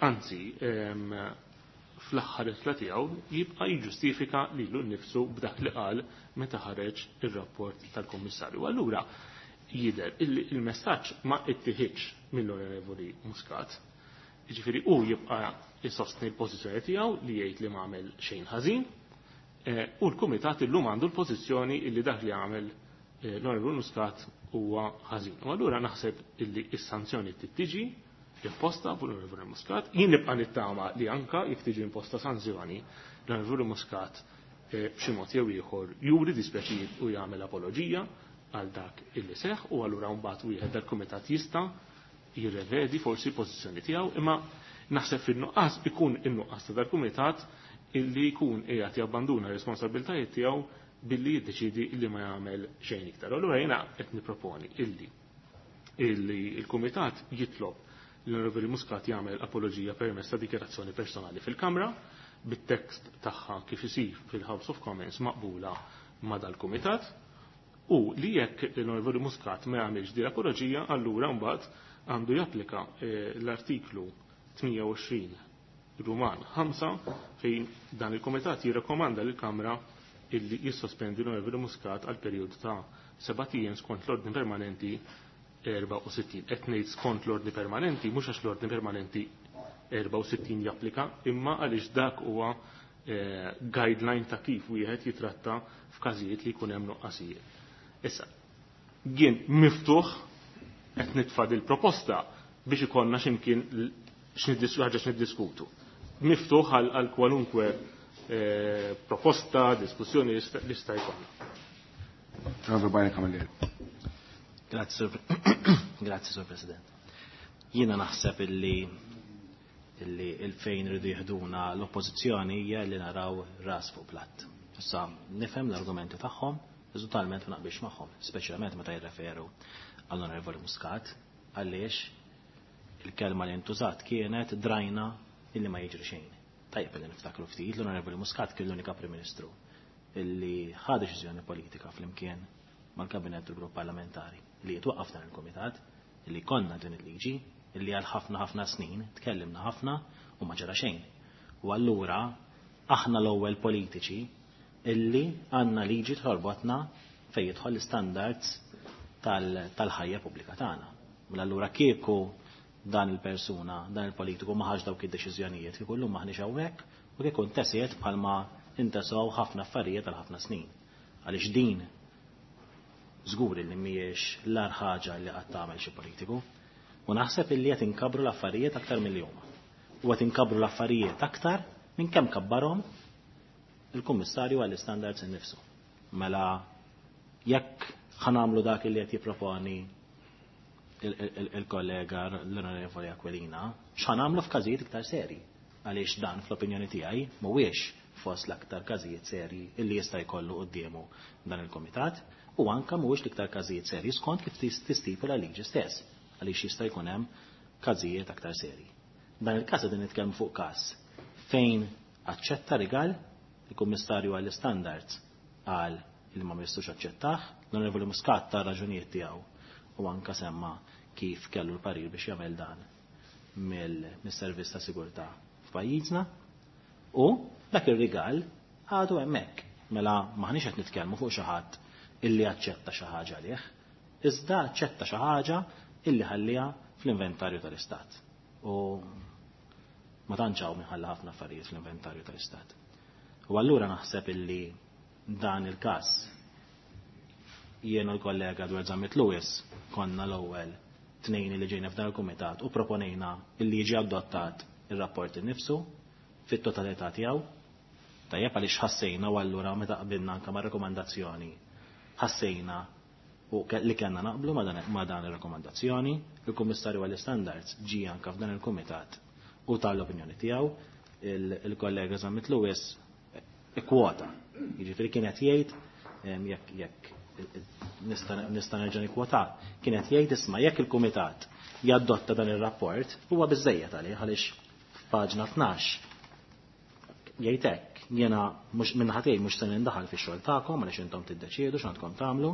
Speaker 4: anzi fl-aħħar ittra tiegħu jibqa' jiġġustifika lilu nnifsu b'dak li qal meta ħareġ ir-rapport tal-Kummissarju. Allura jidher illi il-messaġġ ma ittieħidx mill-Onorevoli Muscat. Jiġifieri hu jibqa' jsostni l-pożizzjoni tiegħu li jgħid li ma għamel xejn ħażin, u l-Kumitat illum għandu l-pożizzjoni illi dak li għamel l-Onorevoli Muscat huwa ħażin. U allura naħseb illi s-sanzjoni tiġi imposta fuq l-Onorevoli Muscat. Jien nibqa' nittama li anka jekk tiġi imposta sanzjoni l-Onorevoli Muscat b'xi mod jew ieħor juri dispjaċir u jagħmel apoloġija għal dak illi seħħ, u allura mbagħad wieħed dal-kumitat jista' jirrevedi forsi l-pożizzjoni tiegħu, imma naħseb fin-nuqqas ikun in-nuqqas ta' dal-kumitat illi jkun qiegħed jabbanduna r-responsabbiltajiet tiegħu billi jiddeċidi illi ma jagħmel xejn iktar. Allura jiena qed nipproponi illi il-kumitat jitlob l-Onorevoli Muscat jagħmel apoloġija permezz ta' dikjarazzjoni personali fil-Kamra bit-tekst tagħha kif isir fil-House of Commons maqbula ma' dal-kumitat, u li jekk l-Onorevoli Muscat ma jagħmilx din l-apoloġija, allura mbagħad għandu japplika l-artiklu 28 Ruman 5 fejn dan il-Kumitat jirrekomanda lill-Kamra illi jissospendi l-Onorevoli Muscat għal perjodu ta' 7 ijiem skont l-ordni permanenti 64. Qed ngħid skont l-ordni permanenti mhux għax l-ordni permanenti 64 japplika, imma għaliex dak huwa guideline ta' kif wieħed jitratta f'każijiet li jkun hemm nuqqasijiet. Issa, jien miftuħ qed nitfa' il-proposta biex ikollna x'imkien ħaġa x'niddiskutu. Miftuħ għal kwalunkwe proposta, diskussjoni li sta jkollna.
Speaker 5: Grazie, Sur President. Jiena naħseb illi il-fejn rridu jihduna l-oppożizzjoni hija li naraw ras fuq platt. Issa nifhem l-argumenti tagħhom, totalment ma naqbilx magħhom, speċjalment meta jirreferu għall-Onorevoli Muscat, għaliex il-kelma li ntużat kienet drajna illi ma jiġri xejn. Tajjeb li niftakru ftit l-Onorevoli Muscat kien l-unika Prim Ministru illi ħa deċiżjoni politika flimkien mal-Kabinett u l-Grupp Parlamentari li jitwaqqaf dan il-Kumitat, illi konna din il-liġi, illi għal ħafna ħafna snin tkellimna ħafna u ma ġara xejn. U allura aħna l-ewwel politiċi illi għandna liġi torbotna fejn jidħol l-istandards tal-ħajja pubblika tagħna. Mela allura kieku dan il-persuna, dan il-politiku ma ħax dawk id-deċiżjonijiet, kieku llum maħniex hawnhekk u kieku ntesiet bħalma intesew ħafna affarijiet għal ħafna snin. Għaliex din żgur li mhijiex l-agħar ħaġa li qatt tagħmel xi politiku. U naħseb illi qed inkabru l-affarijiet aktar milli huma. U qed inkabru l-affarijiet aktar minn kemm kabbarhom il-Kummissarju għall-Istandards innifsu. Mela jekk ħa nagħmlu dak li qed jipproponi il-kollega l-Onorevoli Aquilina, x'ħa nagħmlu f'każijiet iktar seri? Għaliex dan fl-opinjoni tiegħi mhuwiex fost l-aktar każijiet seri illi jista' jkollu quddiemu dan il-komitat u anka mhuwiex l-iktar każijiet seri skont kif tistipula l-liġi stess, għaliex jista' jkun hemm każijiet aktar seri. Dan il-każ qegħdin nitkellmu fuq każ fejn aċċetta rigal il-Kummissarju għall-Istandards qal li ma jistux aċċettah, l-Onorevoli Muscat ta raġunijiet tiegħu u anka semma kif kellu l-parir biex jagħmel dan mill-servizz ta' sigurtà f'pajjiżna u dak ir-rigal għadu hemmhekk. Mela maħniex qed nitkellmu fuq xi ħadd illi aċċetta xi ħaġa għalih, iżda aċċetta xi ħaġa illi ħalliha fl-inventarju tal-Istat. U ma tantx hawn minħalla ħafna affarijiet fl-inventarju tal-Istat. U allura naħseb illi dan il-każ jien u l-kollega Edward Zammit Lewis konna l-ewwel tnejn li ġejna f'dan il-kumitat u proponejna illi jiġi adottat ir-rapport innifsu fit-totalità tiegħu. Tajjeb għaliex ħassejna u allura meta qbilna anke ma' rekomandazzjoni ħassejna u li kellna naqblu ma' dan ir-rakkomandazzjoni, il-Kummissarju għall-Istandards ġie anke f'dan il-kumitat u tal-opinjoni tiegħu, il-kollega Zammit Lewis ikkwota. Jiġifieri kienet jgħid jekk nista' nerġa' nikkwota, kienet jgħid isma' jekk il-kumitat jadotta dan ir-rapport huwa biżejjed għalih għaliex f'paġna 12 jgħid hekk, jiena mhux minnaħa tiegħi mhux se nindaħal fix-xogħol tagħkom għaliex intom tiddeċiedu x'għandkom tagħmlu,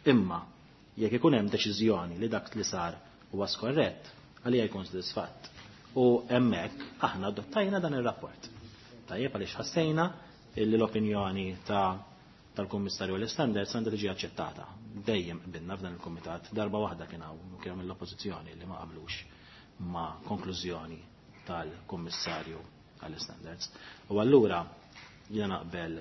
Speaker 5: imma jekk ikun hemm deċiżjoni li dak li sar huwa skorrett, għalija jkun sodisfatt. U hemmhekk aħna adottajna dan ir-rapport. Tajjeb għaliex ħassejna illi l-opinjoni tal-Kummissarju l-Standards għandha tiġi aċċettata. Dejjem qbilna f'dan il-kumitat, darba waħda kien hawn kien hemm l-oppożizzjoni li ma qablux ma' konklużjoni tal-Kummissarju għall-Standards. U allura jiena naqbel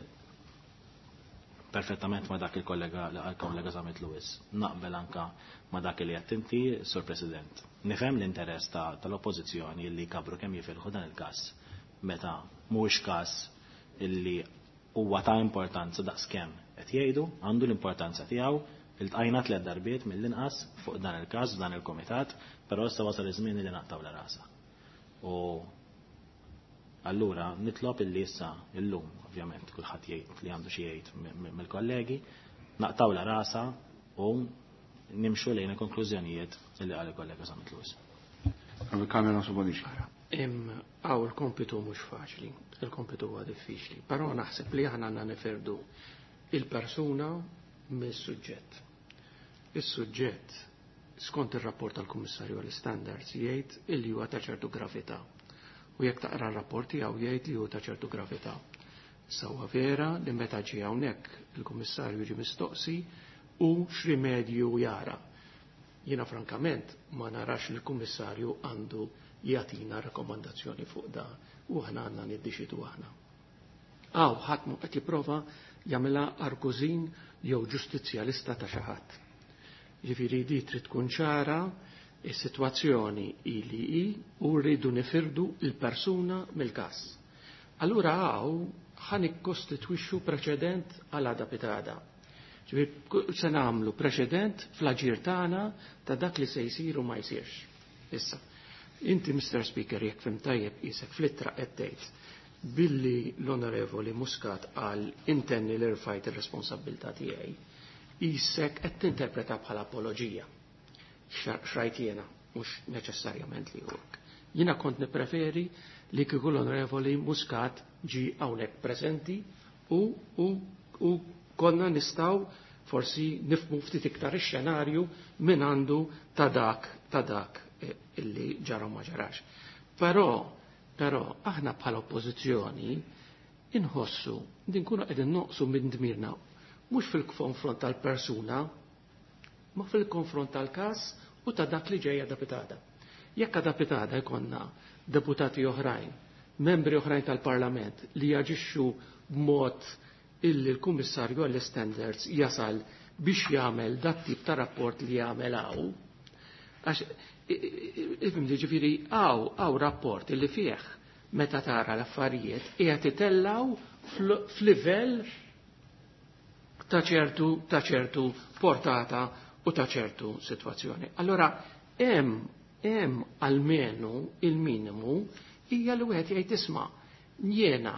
Speaker 5: perfettament ma' dak il-kollega għal-kollega Zammit Lewis. Naqbel anka ma' dak li qed inti, Sur President. Nifhem l-interess tal-oppożizzjoni li kabru kemm jifilħu dan il-każ meta mhuwiex każ illi huwa ta' importanza daqskemm qed jgħidu, għandu l-importanza tiegħu, iltqajna 3 darbiet mill-inqas fuq dan il-każ f'dan il-kumitat, però issa wasal iż-żmien li naqtaw la rasa. U allura nitlob illi issa illum, ovvjament kulħadd jgħid li għandu xi jgħid mill-kollegi, naqtaw la rasa u nimxu lejn il-konklużjonijiet li qal il-kollega Zammit Lewis.
Speaker 1: Kamera Subonici.
Speaker 2: Għaw il-kompitu mhux faċli, il-kompitu huwa diffiċli, però naħseb li aħna għandna nifirdu il-persuna mis-suġġett. Is-suġġett, skont ir-rapport tal-Kummissarju għall-Standards, jgħid illi huwa ta' ċertu gravità. U jekk taqra r-rapport tiegħu jgħid li huwa ta' ċertu gravità. Issa huwa vera li meta ġie hawnhekk il-Kummissarju ġie mistoqsi u x'rimedju jara. Jiena frankament ma narax li l-Kummissarju għandu jagħtina rakkomandazzjoni fuq da u aħna għandna niddeċidu aħna. Aw ħadd mhu qed jipprova jagħmilha argużin jew ġustizzjalista ta' xi ħadd. Ġifieri di trid tkun ċara is-sitwazzjoni ili hi u rridu nifirdu l-persuna mill-każ. Allura hawn ħa nikkostitwixxu preċedent għal għada pitada. Ġifieri se nagħmlu preċedent fl-aġir tagħna ta' dak li se jsir u ma jsirx. Issa, inti Mr. Speaker jekk fim tajjeb isek fl-ittra qed tgħid billi l-Onorevoli Muscat qal intenni li rfajt ir-responsabbiltà tiegħi, isek qed tinterpreta bħala apoloġija. Xrajt jiena, mhux neċessarjament li hekk. Jiena kont nippreferi li kieku l-Onorevoli Muscat ġi hawnhekk preżenti u konna nistgħu forsi nifhmu ftit iktar ix-xenarju minn għandu ta' dak ta' dak illi ġara ma ġarax. Però aħna bħala oppożizzjoni inħossu din nkunu qegħdin noqsu minn dmirna Mhux fil-konfront tal-persuna, ma fil-konfront tal-każ u ta' dak li ġejja deputata. Jekk deputata jkollna deputati oħrajn, membri oħrajn tal-Parlament li jaġixxu b'mod illi l-Kummissarju għall-Standards jasal biex jagħmel dat tip ta' rapport li jagħmel hawn. Għax ifhimni, ġifieri hawn rapport illi fih meta tara l-affarijiet qiegħed itellaw f'livell ta' ċertu portata u ta' ċertu sitwazzjoni. Allora hemm almenu il-minimu hija li wieħed jgħid, "Isma', jiena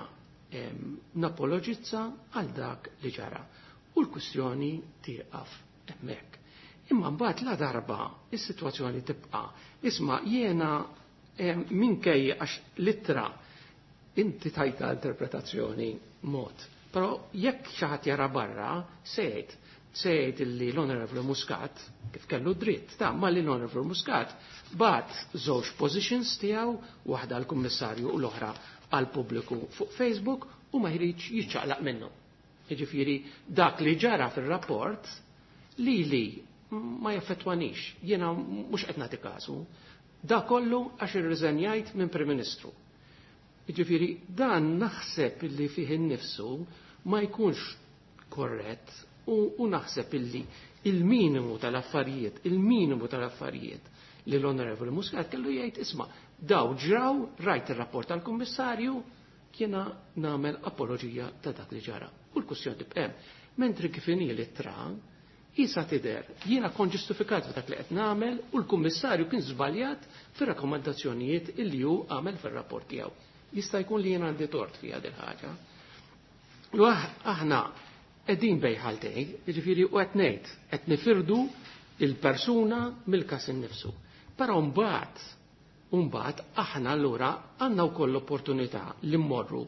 Speaker 2: napologizza għal dak li ġara." U l-kwistjoni tieqaf hemmhekk. Imma mbagħad la darba is-sitwazzjoni tibqa', isma', jiena minkejja, għax l-ittra inti tajta interpretazzjoni mod. Però jekk xi ħadd jara barra, se jgħid illi l-Honorable Muscat, kif kellu dritt, ta' ma li l-Honorable Muscat bagħat żewġ positions tiegħu, waħda għall-Kummissarju u l-oħra għall-pubbliku fuq Facebook, u ma jridx jiċċaqlaq minnu. Jiġifieri dak li ġara fir-rapport li ma jaffettwanix, jiena mhux qed nagħti kasu. Da kollu għax irriżenjajt minn Prim Ministru. Jiġifieri dan naħseb illi fih innifsu ma jkunx korrett u naħseb illi il-minimu tal-affarijiet, il-minimu tal-affarijiet li l-Onorevoli Muscat kellu jgħid, "Isma', daw ġraw, rajt ir-rapport tal-Kummissarju, jiena nagħmel apologija ta' dak li ġara." U l-kwistjoni tibqa'. Mentri kif inhi l-ittra, isa tidher, jiena kon ġustifikat f'dak li qed nagħmel u l-Kummissarju kien żbaljat fir-rakkomandazzjonijiet illi hu għamel fir-rapport tiegħu. Jista' jkun li jiena għandi tort fiha din ħaġa. U aħna qegħdin bejn ħaltejn, jiġifieri u qed ngħid, qed nifirdu il-persuna mill-każ innifsu. Però mbagħad aħna allura għandna wkoll l-opportunità li mmorru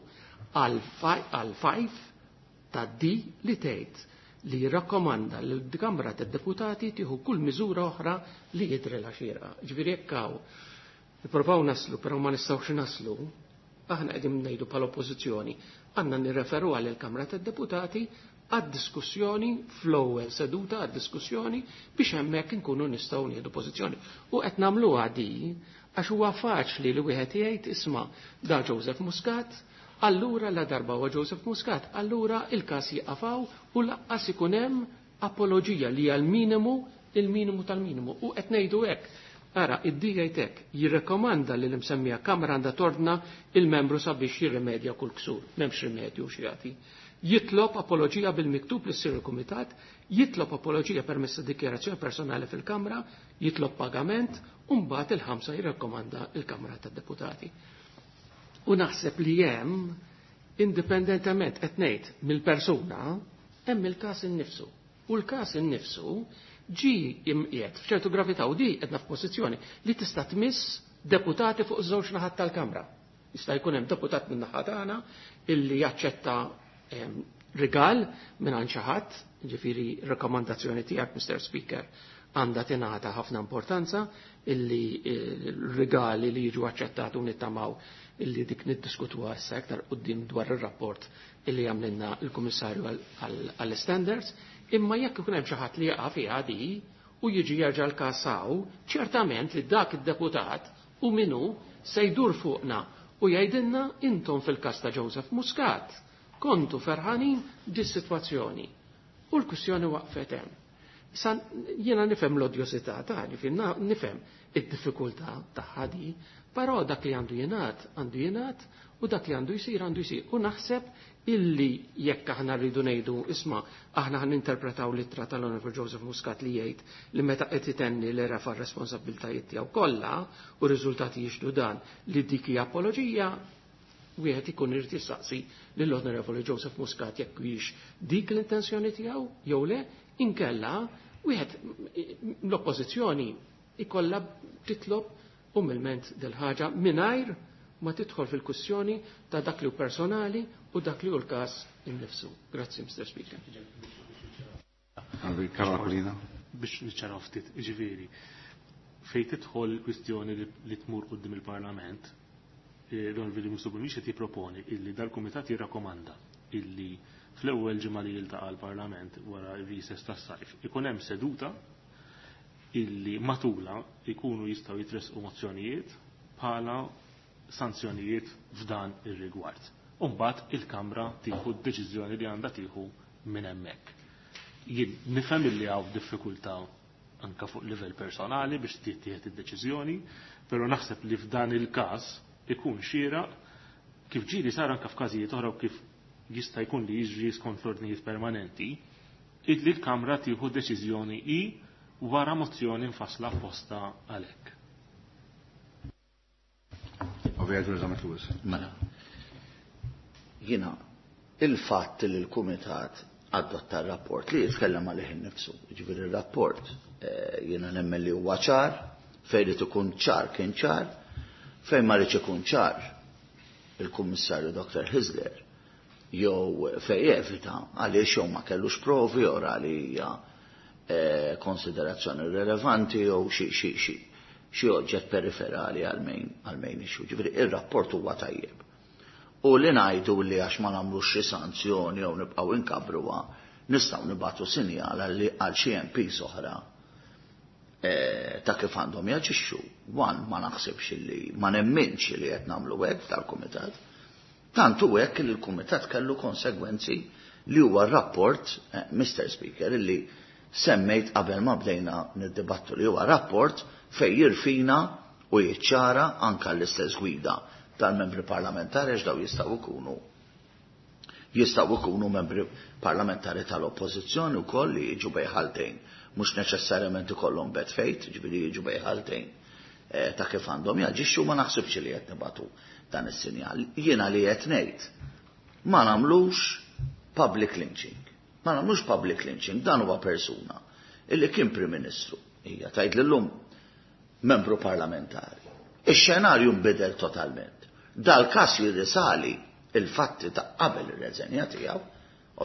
Speaker 2: għal 5 ta' D li tgħid li jirrakkomanda li l-Kamra tad-Deputati tieħu kull miżura oħra li jidhrilha xierqa. Ġifieri jekk hawn nippruvaw naslu, però ma nistgħux naslu, aħna qegħdin ngħidu bħala oppożizzjoni, għandna nirreferu għal il-Kamra tad-Deputati għad-diskussjoni fl-ewwel seduta għad-diskussjoni biex hemmhekk inkunu nistgħu nieħdu pożizzjoni. U qed nagħmluha di għax huwa faċli li wieħed jgħid, "Isma', da Joseph Muscat, allura la darba huwa Joseph Muscat, allura il-każ jieqaf hawn u lanqas ikun hemm apoloġija li hija l-minimu, il-minimu tal-minimu." U qed ngħidu hekk. Ara, id-D jgħidlek, jirrekomanda li l-imsemmija Kamra għandha tordna il-membru sabiex jirrimedja kull ksur. M'hemmx rimedju xi. Jitlob apoloġija bil-miktub li ssir il-Kumitat, jitlob apoloġija permezz ta' dikjarazzjoni personali fil-Kamra, jitlob pagament, u mbagħad il-5 jirrekkomanda il-Kamra tad-Deputati. U naħseb li hemm, indipendentement qed ngħid mill-persuna, hemm il-każ innifsu. U l-każ innifsu ġi imqiegħed f'ċertu gravità u di qedna f'pożizzjoni li tista' tmiss deputati fuq żewġ naħat tal-Kamra. Jista' jkun hemm deputat minn naħa tagħna illi jaċċetta rigal minn għand xi ħadd, ġifieri rakkomandazzjoni tiegħek, Mr. Speaker, għandha tingħata ħafna importanza illi rigali li jiġu aċċettati u nittamaw illi dik niddiskutuha issa iktar quddiem dwar ir-rapport illi għamlilna il-Kummissarju għall-Standards, imma jekk ikun hemm xi ħadd li jaqa' fiha di u jiġi jerġa' l-każ hawn, ċertament li dak id-deputat u minu se jdur fuqna u jgħidilna, "Intom fil-każ ta' Joseph Muscat kontu ferħanin dis-sitwazzjoni." U l-kwistjoni waqfet hemm. San, jiena nifhem l-odjosità ta' nifhem id-diffikultà tagħha di, però dak li għandu jingħad, għandu jingħad u dak li għandu jsir, għandu jsir. U naħseb illi jekk aħna rridu ngħidu, "Isma', aħna ħan interpretaw l-ittra tal-Honorable Joseph Muscat li jgħid li meta qed itenni li refa' r-responsabbiltajiet tiegħu kollha u r-riżultati jixhdu dan li dik hija apoloġija," wieħed ikun irid jistaqsi lill-Onorevoli Joseph Muscat jekk hix dik l-intenzjoni tiegħu jew le, inkella wieħed l-oppożizzjoni ikollha titlob umilment del-ħaġa mingħajr ma tidħol fil-kwistjoni ta' dak li hu personali u dak li hu l-każ innifsu. Grazzi, Mr. Speaker.
Speaker 1: Karolina.
Speaker 4: Biex niċċaraw ftit, ġifieri, fejn tidħol kwistjoni li tmur quddiem il-Parlament, l-Onorevoli Musubin qed jipproponi illi dal-Kumitat jirrakkomanda. illi fl-ewwel ġimgħa li jiltaqa' l-Parlament wara r-recess tas-sajf ikun hemm seduta illi matula ikunu jistgħu jitresqu mozzjonijiet bħala sanzjonijiet f'dan ir-rigward. U mbagħad il-Kamra tieħu d-deċiżjoni li għandha tieħu minn hemmhekk. Jien nifhem illi hawn diffikultà anka fuq livell personali biex tittieħed id-deċiżjoni, però naħseb li f'dan il-każ ikun xieraq kif ġieli sar anka f'każijiet oħra u kif jista' jkun li jiġri skont l-ordnijiet permanenti, illi l-Kamra tieħu deċiżjoni hi wara mozzjoni mfassla apposta għalhekk.
Speaker 3: Mela. Jiena il-fatt li l-Kumitat adotta r-rapport li jitkellem għalih innifsu, jiġifieri r-rapport jiena nemmen li huwa ċar, fejn irid ikun ċar kien ċar, fejn ma rridx ikun ċar il-Kummissarju Dr. Hyzler jew fejn evita għaliex jew ma kellux provi jew ra li hija konsiderazzjoni rilevanti jew xi xi xi xi oġġett periferali għal main għal main issue. Ġifieri ir-rapport huwa tajjeb. U li ngħidu li għax ma nagħmlux xi sanzjoni jew nibqgħu inkabruha nistgħu nibagħtu sinjal għal xi MPs oħra ta' kif għandhom jaġixxu. One, ma naħsibx li ma nemminx li qed nagħmlu hekk tal-kumitat. Tant hu hekk li l-kumitat kellu konsegwenzi li huwa r-rapport, Mr. Speaker, illi semmejt qabel ma bdejna niddibattu li huwa rapport fejn jirfina u jiċċara anka l-istess gwida tal-membri parlamentari għax daw jistgħu jkunu jistgħu jkunu membri parlamentari tal-oppożizzjoni wkoll li jiġu bejn ħaltejn, mhux neċessarjament ikollhom bad faith, ġifieri jiġu bejn ħaltejn ta' kif għandhom jaġixxu, ma naħsibx li qed nibatu dan is-sinjal. Jiena li qed ngħid ma nagħmlux public lynching. Ma nagħmlux public lynching, dan huwa persuna illi kien Prim Ministru, hija tgħid lillum membru parlamentari. Ix-xenarju nbidel totalment. Dal-każ jirrisali il-fatti ta' qabel ir-reżenja tiegħu,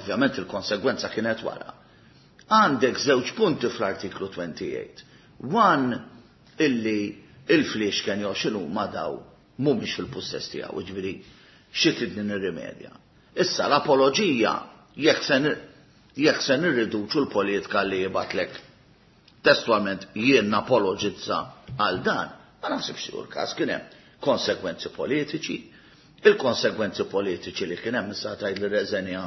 Speaker 3: ovvjament il-konsegwenza kienet wara. Għandek żewġ punti fl-artiklu 28. One, illi il-flixken jew x'inhu ma daw mhumiex fil-pussess tiegħu, jiġifieri xi tridni nirrimedja. Issa l-apoloġija jekk se nirriduċu l-politika li jibatlek testualment jien napologizza għal dan, ma naħsibx li l-każ. Kien hemm konsekwenzi politiċi, il-konsekwenzi politiċi li kien hemm issa tgħid li reżenja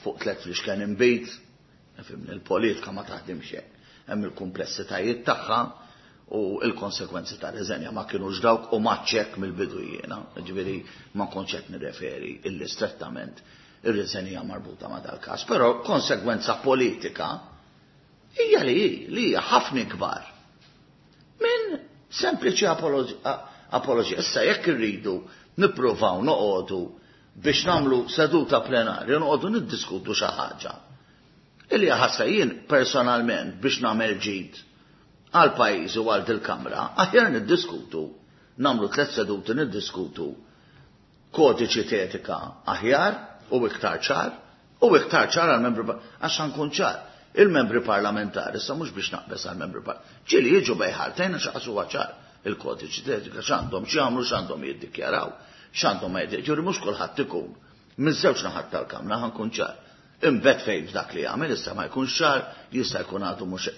Speaker 3: fuq tliet flixken inbid, fimni l-politika ma taħdimx hekk. Hemm il-kumplessitajiet tagħha u l-konsekwenzi ta' reżenja ma kienux dawk u maċċek mill-bidu jiena, ġifieri ma kontx qed nirreferi illi strettament ir-reżenja marbuta ma' dal-każ, però konsegwenza politika hija li hi, li hija ħafna ikbar minn sempliċi apoloġija. Issa jekk irridu nippruvaw noqogħdu biex nagħmlu seduta plenarja, noqogħdu niddiskutu xi ħaġa. Illi ħassa jien personalment biex nagħmel ġid għal pajjiż u għal dil-kamra, aħjar niddiskutu, nagħmlu 3 seduti niddiskutu kodiċi t'etika aħjar u iktar ċar, u iktar ċar għal membri għax nkun ċar. Il-membri parlamentari, issa mhux biex naqbes għal membri ġieli jiġu bejħaltejn għax qas huwa ċar il-kodiċi t'etika x'għandhom x'jagħmlu, x'għandhom jiddikjaraw, x'għandhom ma jiddikjaraw, ġifieri mhux kulħadd ikun miż-żewġ naħat tal-kamra, ħankun ċar. Imbet fejn f'dak li jagħmel issa ma jkunx ċar, jista' jkun għadu mhux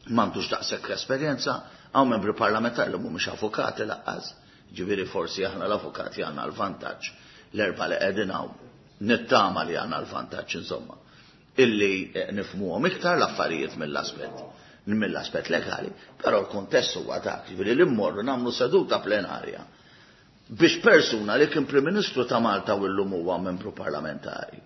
Speaker 3: m'għandux daqshekk esperjenza, hawn membri parlamentari li mhumiex avukati laqqas, ġifieri forsi aħna l-avukati għandna l-vantaġġ, l-erba' li qegħdin hawn, nittama li għandna l-vantaġġ insomma, illi nifhmuhom iktar l-affarijiet mill-aspett legali, però l-kuntest huwa dak, ġifieri li mmorru nagħmlu seduta plenarja biex persuna li kien Prim Ministru ta' Malta u llum huwa membru parlamentari,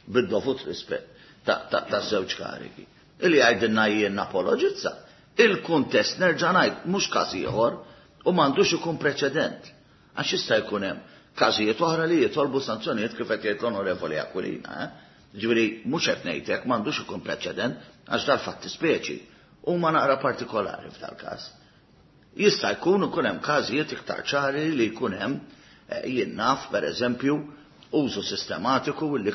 Speaker 3: bid-dovut rispett ta' żewġ karigi, illi jgħidilna jien napologizza. Il-kuntest nerġa' ngħid mhux każ ieħor u m'għandux ikun preċedent, għax jista' jkun hemm każijiet oħra li jitolbu sanzjonijiet kif qed jgħid l-Onorevoli Aquilina? Ġifieri mhux qed ngħid hekk m'għandux ikun preċedent għax dal-fatti speċi huma naqra partikolari f'dal-każ. Jista' jkun ikun hemm każijiet iktar ċari li jkun hemm jien naf pereżempju użu sistematiku li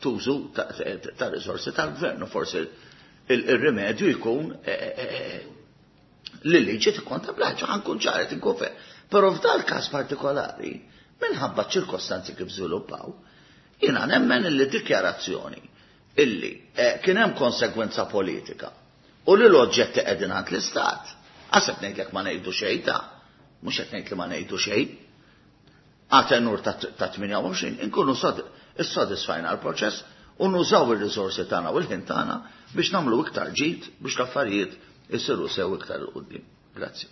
Speaker 3: tużu ta' riżorsi tal-gvern, u forsi il-rimedju jkun li liġi tikkonta bl-ħaġa, ħankun ċari tinkun fer. Però f'dal każ partikolari, minħabba ċirkostanzi kif żviluppaw, Jiena nemmen illi dikjarazzjoni illi kien hemm konsegwenza politika u li l-oġġetti qegħdin għand l-Istat. Għaseb ngħidlek ma ngħidu xejn ta' mhux qed ngħid li ma ngħidu xejn. Għatenur ta' 28 inkunu issodisfajna l-proċess u nużaw ir-riżorsi tagħna u l-ħin tagħna biex nagħmlu iktar ġid biex l-affarijiet isiru sew iktar 'il quddiem. Grazzi.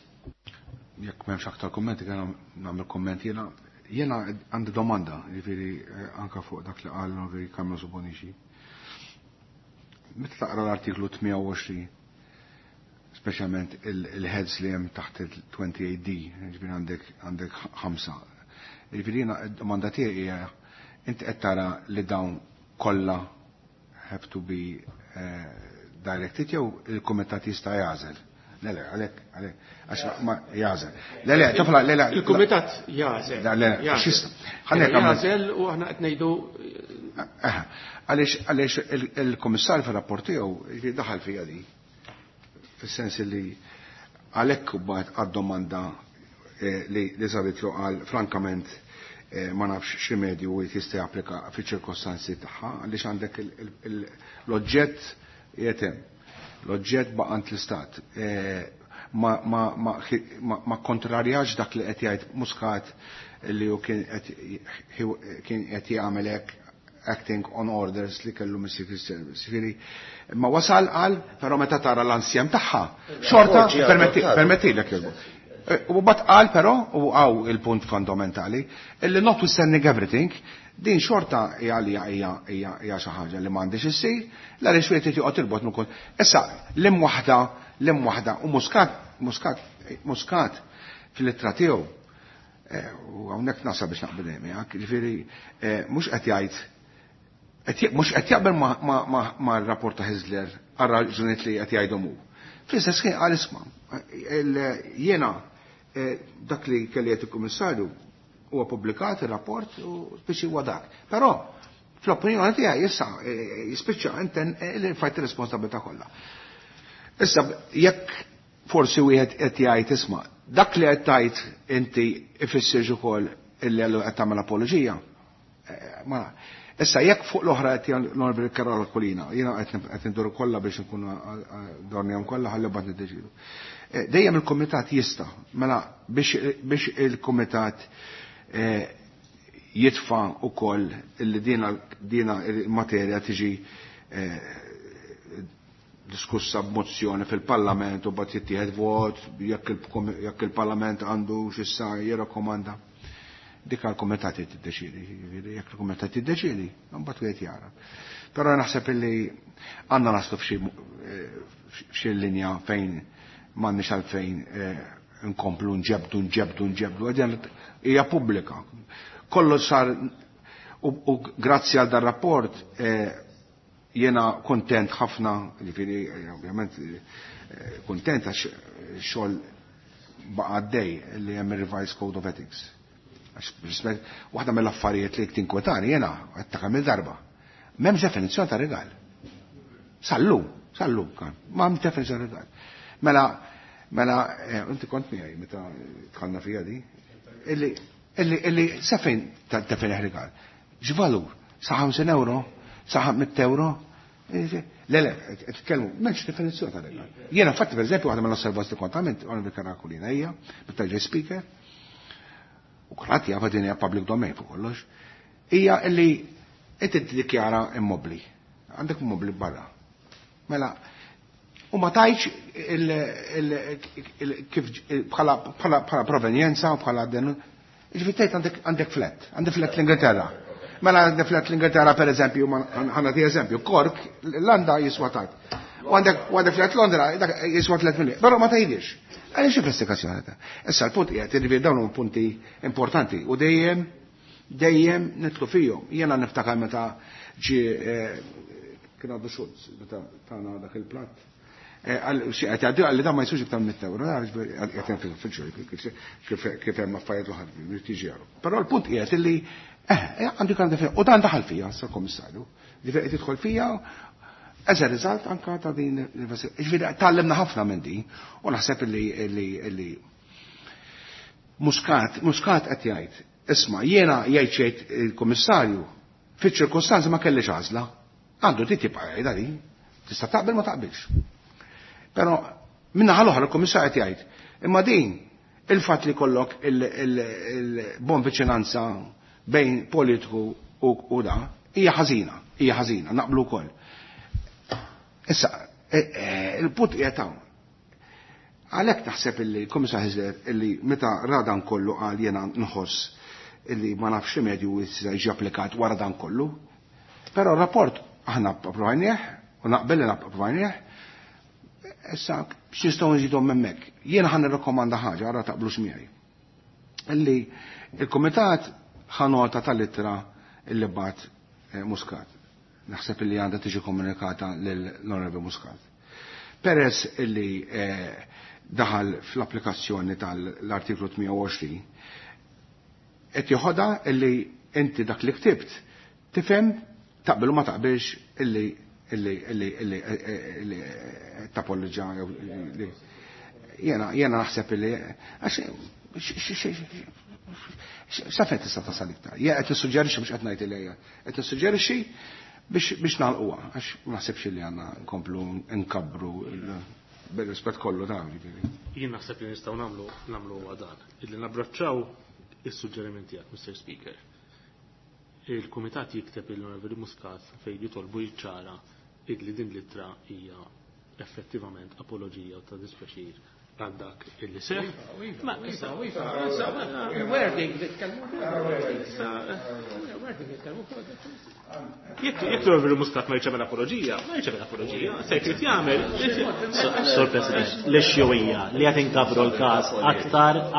Speaker 1: Jekk m'hemmx aktar kummenti, kien nagħmel kumment jiena. Jiena għandi domanda, jiġifieri anke fuq dak li qal l-Onorevoli Carmelo Bonnici. Meta taqra l-artiklu 28, speċjalment il-heads li hemm taħt il-28D, jiġifieri għandek 5. Jiġifieri jiena d-domanda tiegħi hija, inti qed tara li dawn kollha have to be directed jew il-kumitat jista' jagħżel? Le, le, għalhekk, għalhekk, għax ma jagħżel. Le, le, tifla, le, le.
Speaker 2: Il-kumitat jagħżel.
Speaker 1: Le, le,
Speaker 2: Jagħżel.
Speaker 1: x'jista'. Ħalli jekk għamel-
Speaker 2: Jagħżel u aħna qed ngħidu
Speaker 1: Għaliex il-kummissarju fir-rapport tiegħu jiġifieri daħal fija di. Fis-sens li għalhekk mbagħad għad-domanda li saritlu qal frankament ma nafx x'rimedju wieħed jista' japplika fiċ-ċirkostanzi tagħha, għaliex għandek l-oġġett qiegħed hemm. L-oġġett baqa' għand l-Istat. Ma kontrarjax dak li qed jgħid Muscat li hu kien qed jagħmel hekk acting on orders li kellu mis-Secret Service. Ġifieri, ma wasal qal, però meta tara l-ansjem tagħha, xorta
Speaker 3: Ġie adottat.
Speaker 1: permettilek jogħġbok. U bat qal però, u għaw il-punt fondamentali, illi notwithstanding everything, din xorta hija li hija xi ħaġa li m'għandix issir, l għaliex wieħed irid joqgħod irbot minn kull. Issa, l-im waħda, l-im waħda, u Muscat fil-ittra tiegħu, u hawnhekk nasab biex naqbel miegħek, ġifieri mhux qed jgħid, mhux qed jaqbel ma' r-rapport ta' Hyzler għal raġunijiet li qed jgħidhom hu. Fl-istess ħin qal isma', jiena dak li kelli qed il-Kummissarju huwa pubblikat ir-rapport u biex huwa dak. Però fl-opinjoni tiegħi issa jispiċċa inten li fajt ir-responsabilità kollha. Issa jekk forsi wieħed qed jgħid isma' dak li qed tgħid inti ifissirx ukoll illi għallu qed tagħmel apoloġija. Ma issa jekk fuq l-oħra qed jgħid l-Onorevoli Karol Aquilina, jiena qed induru kollha biex nkunu dornihom kollha ħalli mbagħad niddeċidu. Dejjem il-kumitat jista', mela biex il-kumitat jitfa' ukoll illi dina il-materja tiġi diskussa b'mozzjoni fil-Parlament u mbagħad jittieħed vot jekk il-Parlament għandu x'issa jirrakkomanda. Dik għall-kumitat tiddeċiedi, jiġifieri jekk il-kumitat tiddeċiedi, mbagħad wieħed jara. Però naħseb illi għandna naslu f'xi linja fejn m'għandniex għalfejn nkomplu nġebdu, nġebdu, nġebdu, għadjan hija pubblika. Kollu sar u grazzi għal dar rapport jiena kontent ħafna, jiġifieri ovvjament kontent għax xogħol baqa' għaddej li hemm ir-Revised Code of Ethics. Għax rispett, waħda mill-affarijiet li tinkwetani jiena qed ta' kemm il-darba. M'hemmx definizzjoni ta' rigal. Sallu, sallu kan, ma hemm definizzjoni ta' rigal. Mela inti kont miegħi meta dħalna fija di, illi sa fejn defini rigal? X'valur? Sa 50 euro? Sa 100 euro? Le, le, tkellmu, m'hemmx definizzjoni ta' rigal. Jiena infatti per eżempju waħda mill-osservazzjoni li kont għamilt, għamil bil-Karakulina hija, meta ġej speaker, u kulħadd jaf din hija public domain fuq kollox, hija illi inti tiddikjara immobli. Għandek immobli barra. Mela, u ma tajċ kif bħala provenjenza u bħala den. Ġifieri tgħid għandek flat, għandek flat l-Ingilterra. Mela għandek flat l-Ingilterra per eżempju, ħanati eżempju, Cork, l-Landa jiswa tajt. U għandek flat Londra, dak jiswa 3 miljun. Però ma tgħidix. Għaliex investigazzjoni ta'. Issa l-punt qiegħed irrivi dawn huma punti importanti u dejjem nitlu fihom. Jiena niftakar meta ġie kien għadu Schulz, meta tagħna dak il-platt. Għal xi qed jgħaddi għalli dan ma jisux iktar mitt euro, għax qed hemm fil-ġuri, kif hemm affarijiet oħra li tiġi għaru. Però l-punt qiegħed illi għandu jkun għandu u dan daħal fija, sa komissarju, ġifieri qed jidħol fija as a result anka ta' din l-investigazzjoni. Ġifieri tgħallimna ħafna minn din u naħseb illi Muscat qed jgħid, isma' jiena jgħid xejn il-kummissarju Fiċ-ċirkostanzi ma kellix għażla. Għandu dritt jibqa' jgħidha din. Tista' taqbel ma taqbilx. Però minna l-oħra l-Kummissarju qed jgħid, imma din il-fatt li kollok il-bon viċinanza bejn politiku u da, hija ħażina, hija ħażina, naqblu wkoll. Issa, il-punt qiegħed hawn. Għalhekk taħseb illi l-Kummissar Hyzler illi meta ra dan kollu qal jiena nħoss illi ma nafx rimedju jista' jiġi applikat wara dan kollu. Però r-rapport aħna approvajnieh u naqbel li approvajnieh. Issa x'nistgħu nżidu hemmhekk. Jiena ħa nirrakkomanda ħaġa ara taqblux miegħi. Illi il-Kumitat ħa nota tal-ittra illi bagħat Muscat. Naħseb illi għandha tiġi komunikata lill-Onorevoli Muscat. Peress illi daħal fl-applikazzjoni tal-artiklu 28, qed joħodha illi inti dak li ktibt tifhem taqbel u ma taqbilx illi illi illi illi illi tapolġa jew jiena naħseb illi għax sa fejn tista' tasal iktar. Jien qed nissuġġerixxi mhux qed ngħid illi hija. Qed nissuġġerixxi biex nagħlquha għax ma naħsibx li għandna nkomplu nkabbru bil-rispett kollu ta' ġifieri.
Speaker 4: Jien naħseb li nistgħu nagħmlu huwa dan, illi nabbraċċaw is-suġġeriment tiegħek, Mr. Speaker. Il-Kumitat jikteb il-Onorevoli Muscat fejn jitolbu jiċċara illi din l-ittra hija effettivament apologija ta' dispjaċir għal dak illi seħ. Ma issa,
Speaker 2: wording li tkellmu. Wording li tkellmu.
Speaker 4: Jekk l-Onorevoli Muscat ma jċemel apologija, ma jċemel apologija, se jrid jagħmel.
Speaker 5: Sur President, l-issue hija li qed inkabru l-każ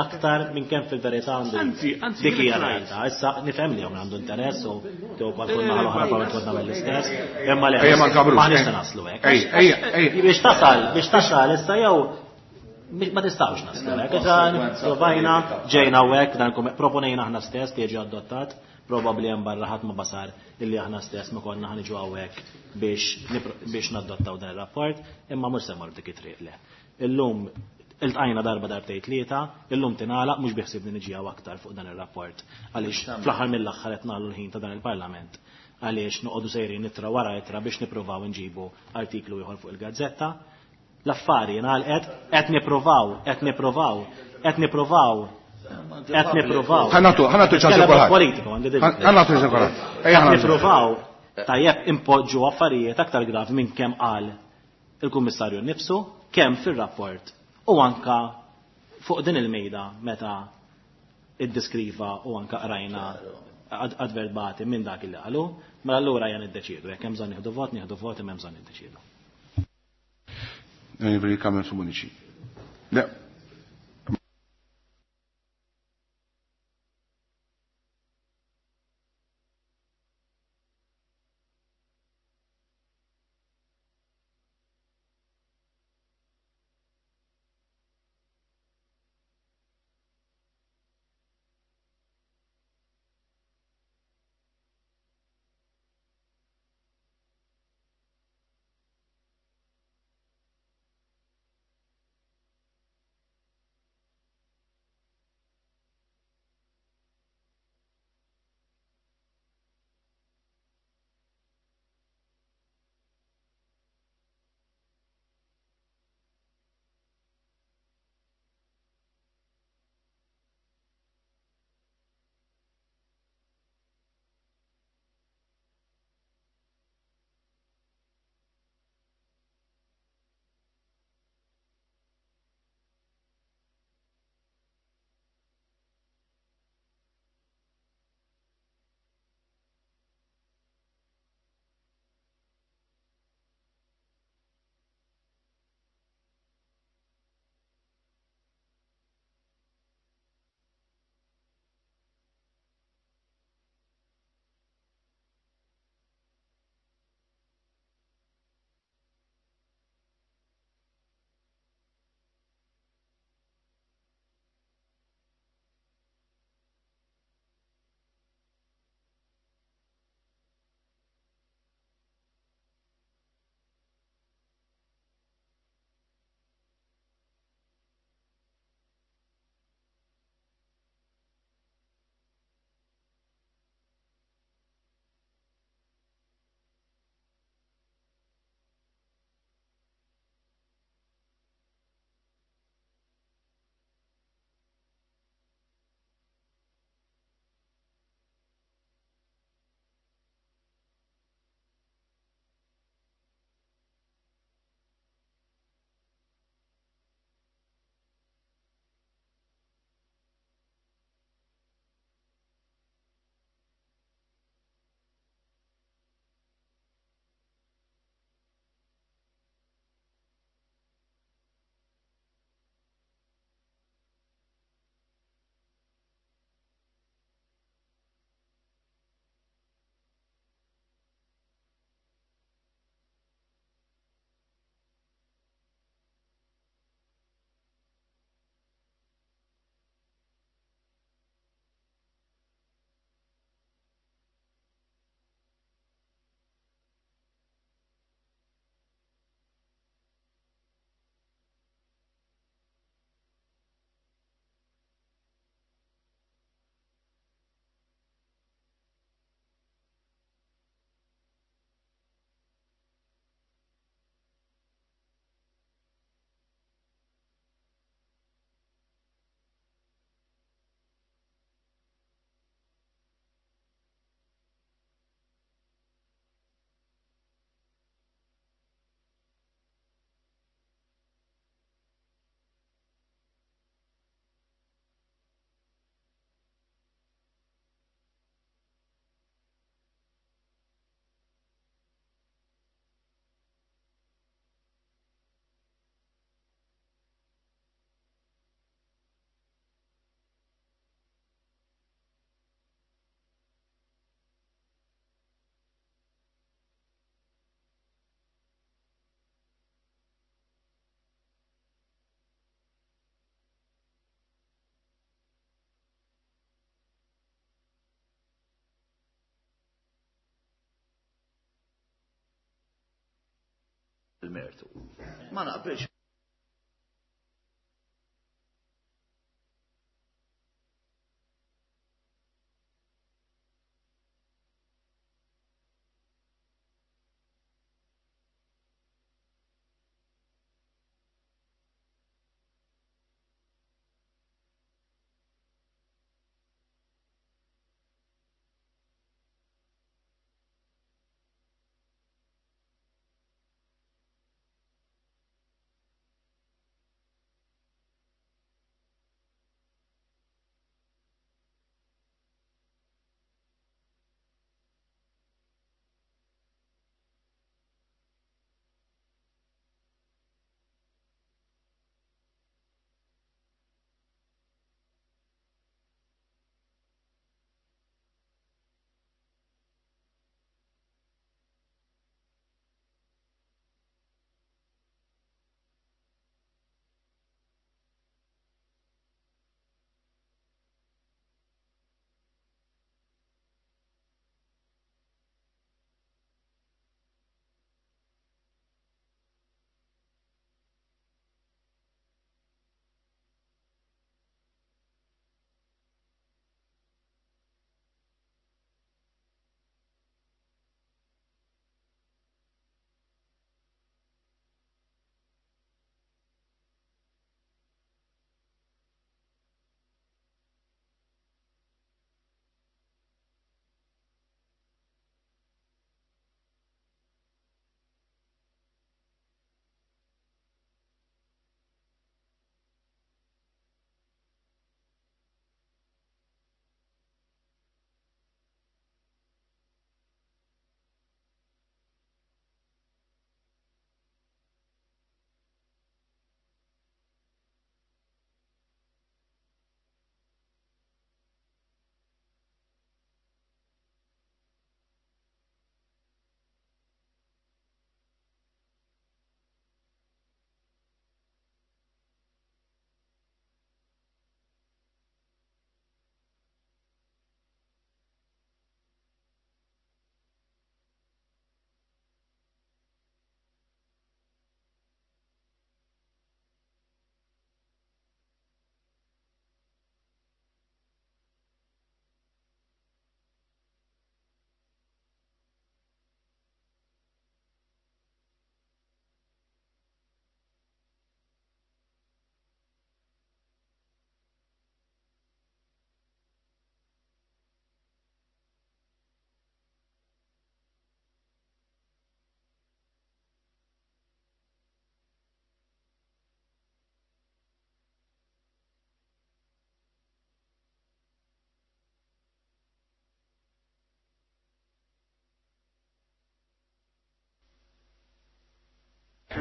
Speaker 5: aktar minn kemm fil-verità għandu.
Speaker 4: Anzi, anzi,
Speaker 5: dik hija
Speaker 4: jien
Speaker 5: realtà. Issa nifhem li hawn għandu interess u tew bħal kull naħa l-oħra bħal konna mill-istess. Imma le,
Speaker 1: Ejja, ma nkabrux,
Speaker 5: ma nista'
Speaker 1: ejja.
Speaker 5: naslu hekk.
Speaker 1: Ejja, ejja, ejja.
Speaker 5: Biex tasal, biex tasal issa jew ma tistgħux naslu hekk. Issa provajna, ġejna hekk, dan proponejna aħna stess li jiġi adottat, probabbli hemm barra ħadd ma basar illi aħna stess ma konna ħaniġu hawnhekk biex nadottaw dan ir-rapport, imma mhux se mmorru dik it-triq le. Illum iltqajna darba darbtejn tlieta, illum tingħalaq mhux biħsibni niġi hawn aktar fuq dan ir-rapport għaliex fl-aħħar mill-aħħar qed nagħlu l-ħin ta' dan il-Parlament għaliex noqogħdu sejrin ittra wara ittra biex nippruvaw nġibu artiklu ieħor fuq il-gazzetta. L-affari ngħalqet, qed nippruvaw, qed nippruvaw, qed nippruvaw, qed nippruvaw.
Speaker 1: Ħa nagħtu ċans
Speaker 5: Nitkellem
Speaker 1: kulħadd.
Speaker 5: politiku, għandi din.
Speaker 1: Ħa nagħtu ċans kulħadd. Ejja, ħa
Speaker 5: Qed
Speaker 1: nagħtu.
Speaker 5: nippruvaw tajjeb impoġġu affarijiet aktar gravi minn kemm qal il-Kummissarju nnifsu, kemm fir-rapport u anka fuq din il-mejda meta iddiskriva u anka qrajna adverbati minn dak li qalu, mela allura ejja niddeċiedu, jekk hemm bżonn nieħdu vot, nieħdu vot, imma hemm bżonn niddeċiedu.
Speaker 1: Onorevoli Carmen Bonnici. Le.
Speaker 3: Il-mertu. Ma naqbilx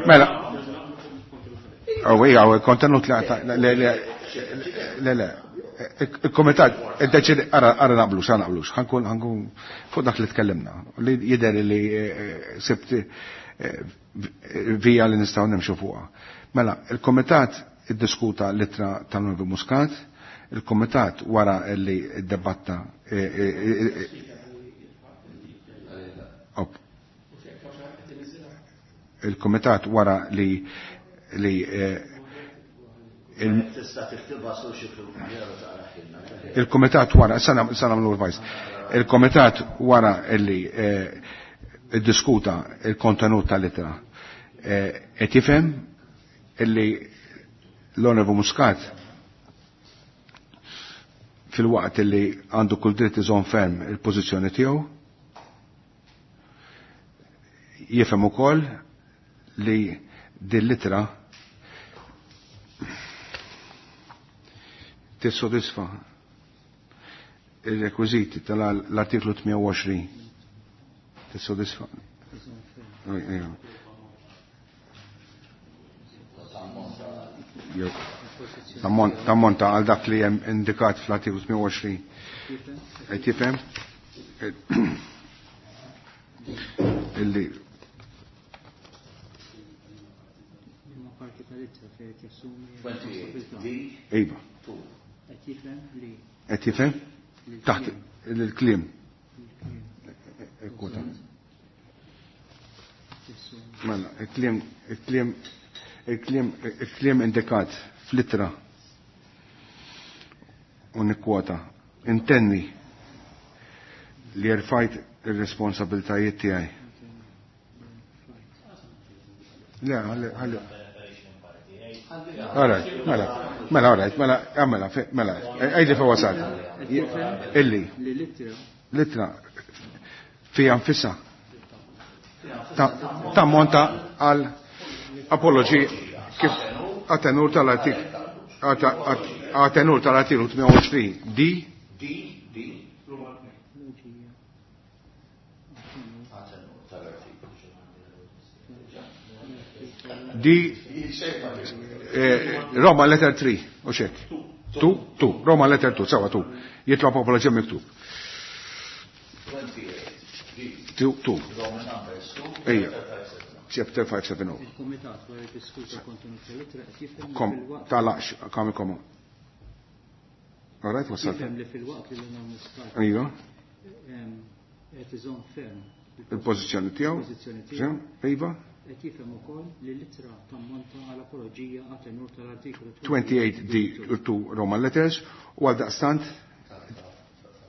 Speaker 1: Mela. Oh, ija, il-kontenut li le, le, le. Il-komitat, id-deċidi, ara naqblux, ara naqblux, ħankun, ħankun, fuq dak li tkellimna, li jider li sibt vija li nistaw nimxu fuqha. Mela, il-komitat iddiskuta l-ittra tal-Novi Muscat, il-komitat wara li id-debatta il-komitat wara li li il-komitat wara, sa nagħmlu advice. Il-komitat wara li iddiskuta il-kontenut tal-ittra qed jifhem illi l-Onorevoli Muscat fil-waqt illi għandu kull dritt iżomm ferm il-pożizzjoni tiegħu jifhem ukoll li din l-ittra tissodisfa il-rekwiziti tal-artiklu 28 tissodisfa tammonta għal dak li hemm indikat fl-artiklu 28 qed jifhem illi Iva. Qed jifhem? Taħt il-kliem. Kwota. Mela, il-kliem il-kliem il-kliem il-kliem indikat fl-ittra u nikkwota intenni li rfajt ir-responsabiltajiet tiegħi. Le, ħalli ħalli. All right, mela, mela, all right, mela, mela, mela, għajdi fa wasal. Illi. Litra. Fija nfissa. Tammonta għal apologi kif għatenur tal-artik għatenur tal-artiklu 28 D.
Speaker 3: D, D.
Speaker 1: D Roma letter 3, u xek. 2, 2, Roma letter 2, sawa 2. Jitlob apoloġija miktub. 2, 2. Ejja. Chapter 570.
Speaker 6: Il-Kumitat wara li diskuta kontenut tal-ittra qed jifhem
Speaker 1: Kom, talaqx, kam kom. All right, wasal.
Speaker 6: Jifhem li fil-waqt li l Muscat
Speaker 1: Ejja.
Speaker 6: Qed iżomm ferm
Speaker 1: il-pożizzjoni tiegħu.
Speaker 6: Il-pożizzjoni tiegħu.
Speaker 1: Iva.
Speaker 6: Qed jifhem ukoll li l-ittra tammonta għal apoloġija għat tenur tal-artikolu
Speaker 1: 28 D 2 Roman letters u għal daqstant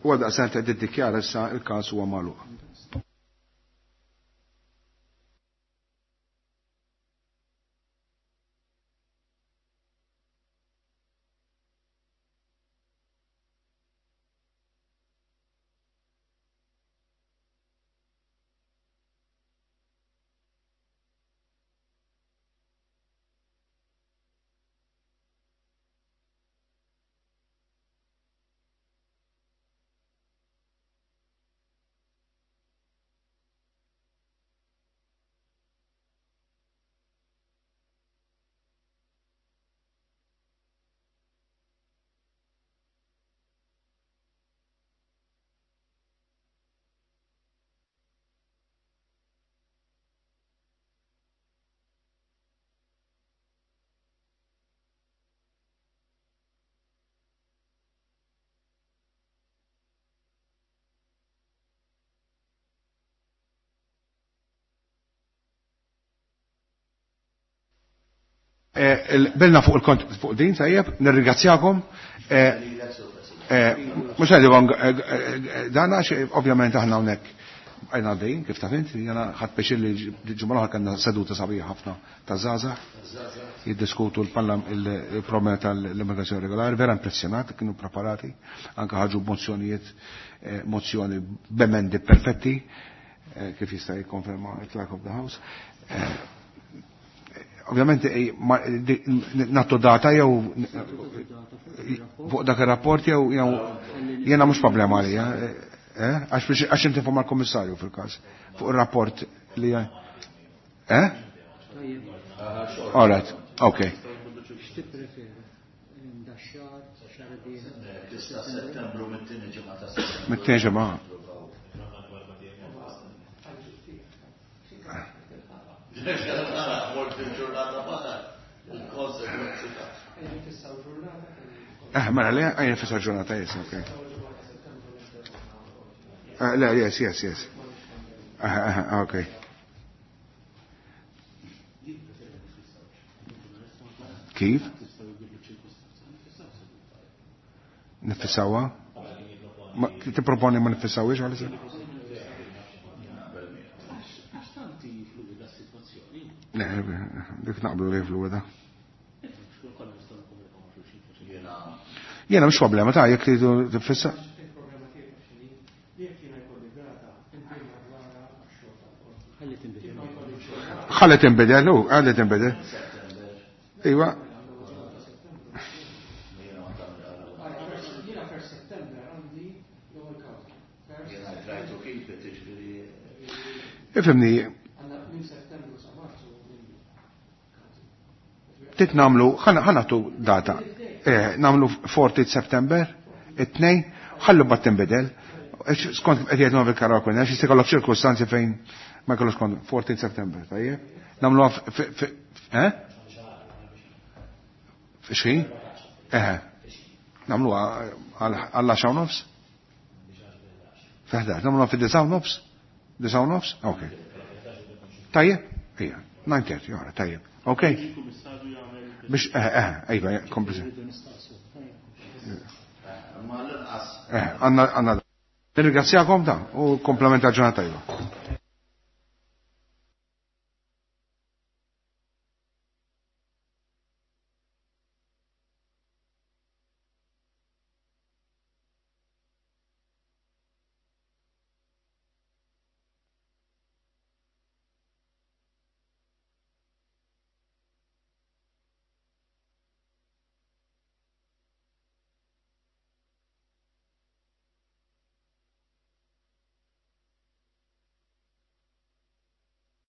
Speaker 1: u għal daqstant qed iddikjara issa il-każ huwa magħluq. Bilna fuq il-kont fuq din, tajjeb, nirringrazzjakom. Mux għajdu dan għax ovvjament aħna hawnhekk għajna għaddejjin, kif taf int, jena ħadd biex li ġimgħa l-oħra kellna seduta sabiħa ħafna ta' żgħażagħ jiddiskutu il-problema tal-immigrazzjoni regolari, vera impressjonat, kienu preparati, anke ħarġu mozzjonijiet, mozzjoni b'emendi perfetti, kif jista' jikkonferma il-Clerk of the House. Ovvjament nattu data jew fuq dak ir-rapport jew jiena mhux problema għalija. Għax inti fuq mal-kummissarju fil-każ fuq ir-rapport li eh? All right, okay. Mit-tieni ġimgħa. Mela, le, għajn fissa ġurnata, yes, ok. Le, yes, yes, yes. Ok. Kif? Nifissawa? Tipproponi ma nifissawiex għalissa? Le, dik naqblu li fluida. Jena mhux problema ta' jekk tridu tifissa. Ħalli tinbidel, hu, ħalli tinbidel. Iva. Ifhimni. Tit namlu, ħanatu data. Namlu 40 September, it-tnejn, ħallu bat tinbidel. Skont qed jgħid novi karaku, għax jista' jkollok ċirkustanzi fejn ma jkollokx kont 14 September, tajjeb? Namlu eh? Xi? Eh. Namlu għal 10 nofs? Feħdax, namlu fi 9 nofs? 9 nofs? Ok. Tajjeb? Ija, 9:30, jara, tajjeb. Ok? Biex, ejba, kompli.
Speaker 3: Ma l-inqas.
Speaker 1: Għanna, għanna. Nirringrazzjakom ta' u komplement ta' ġurnata tajba.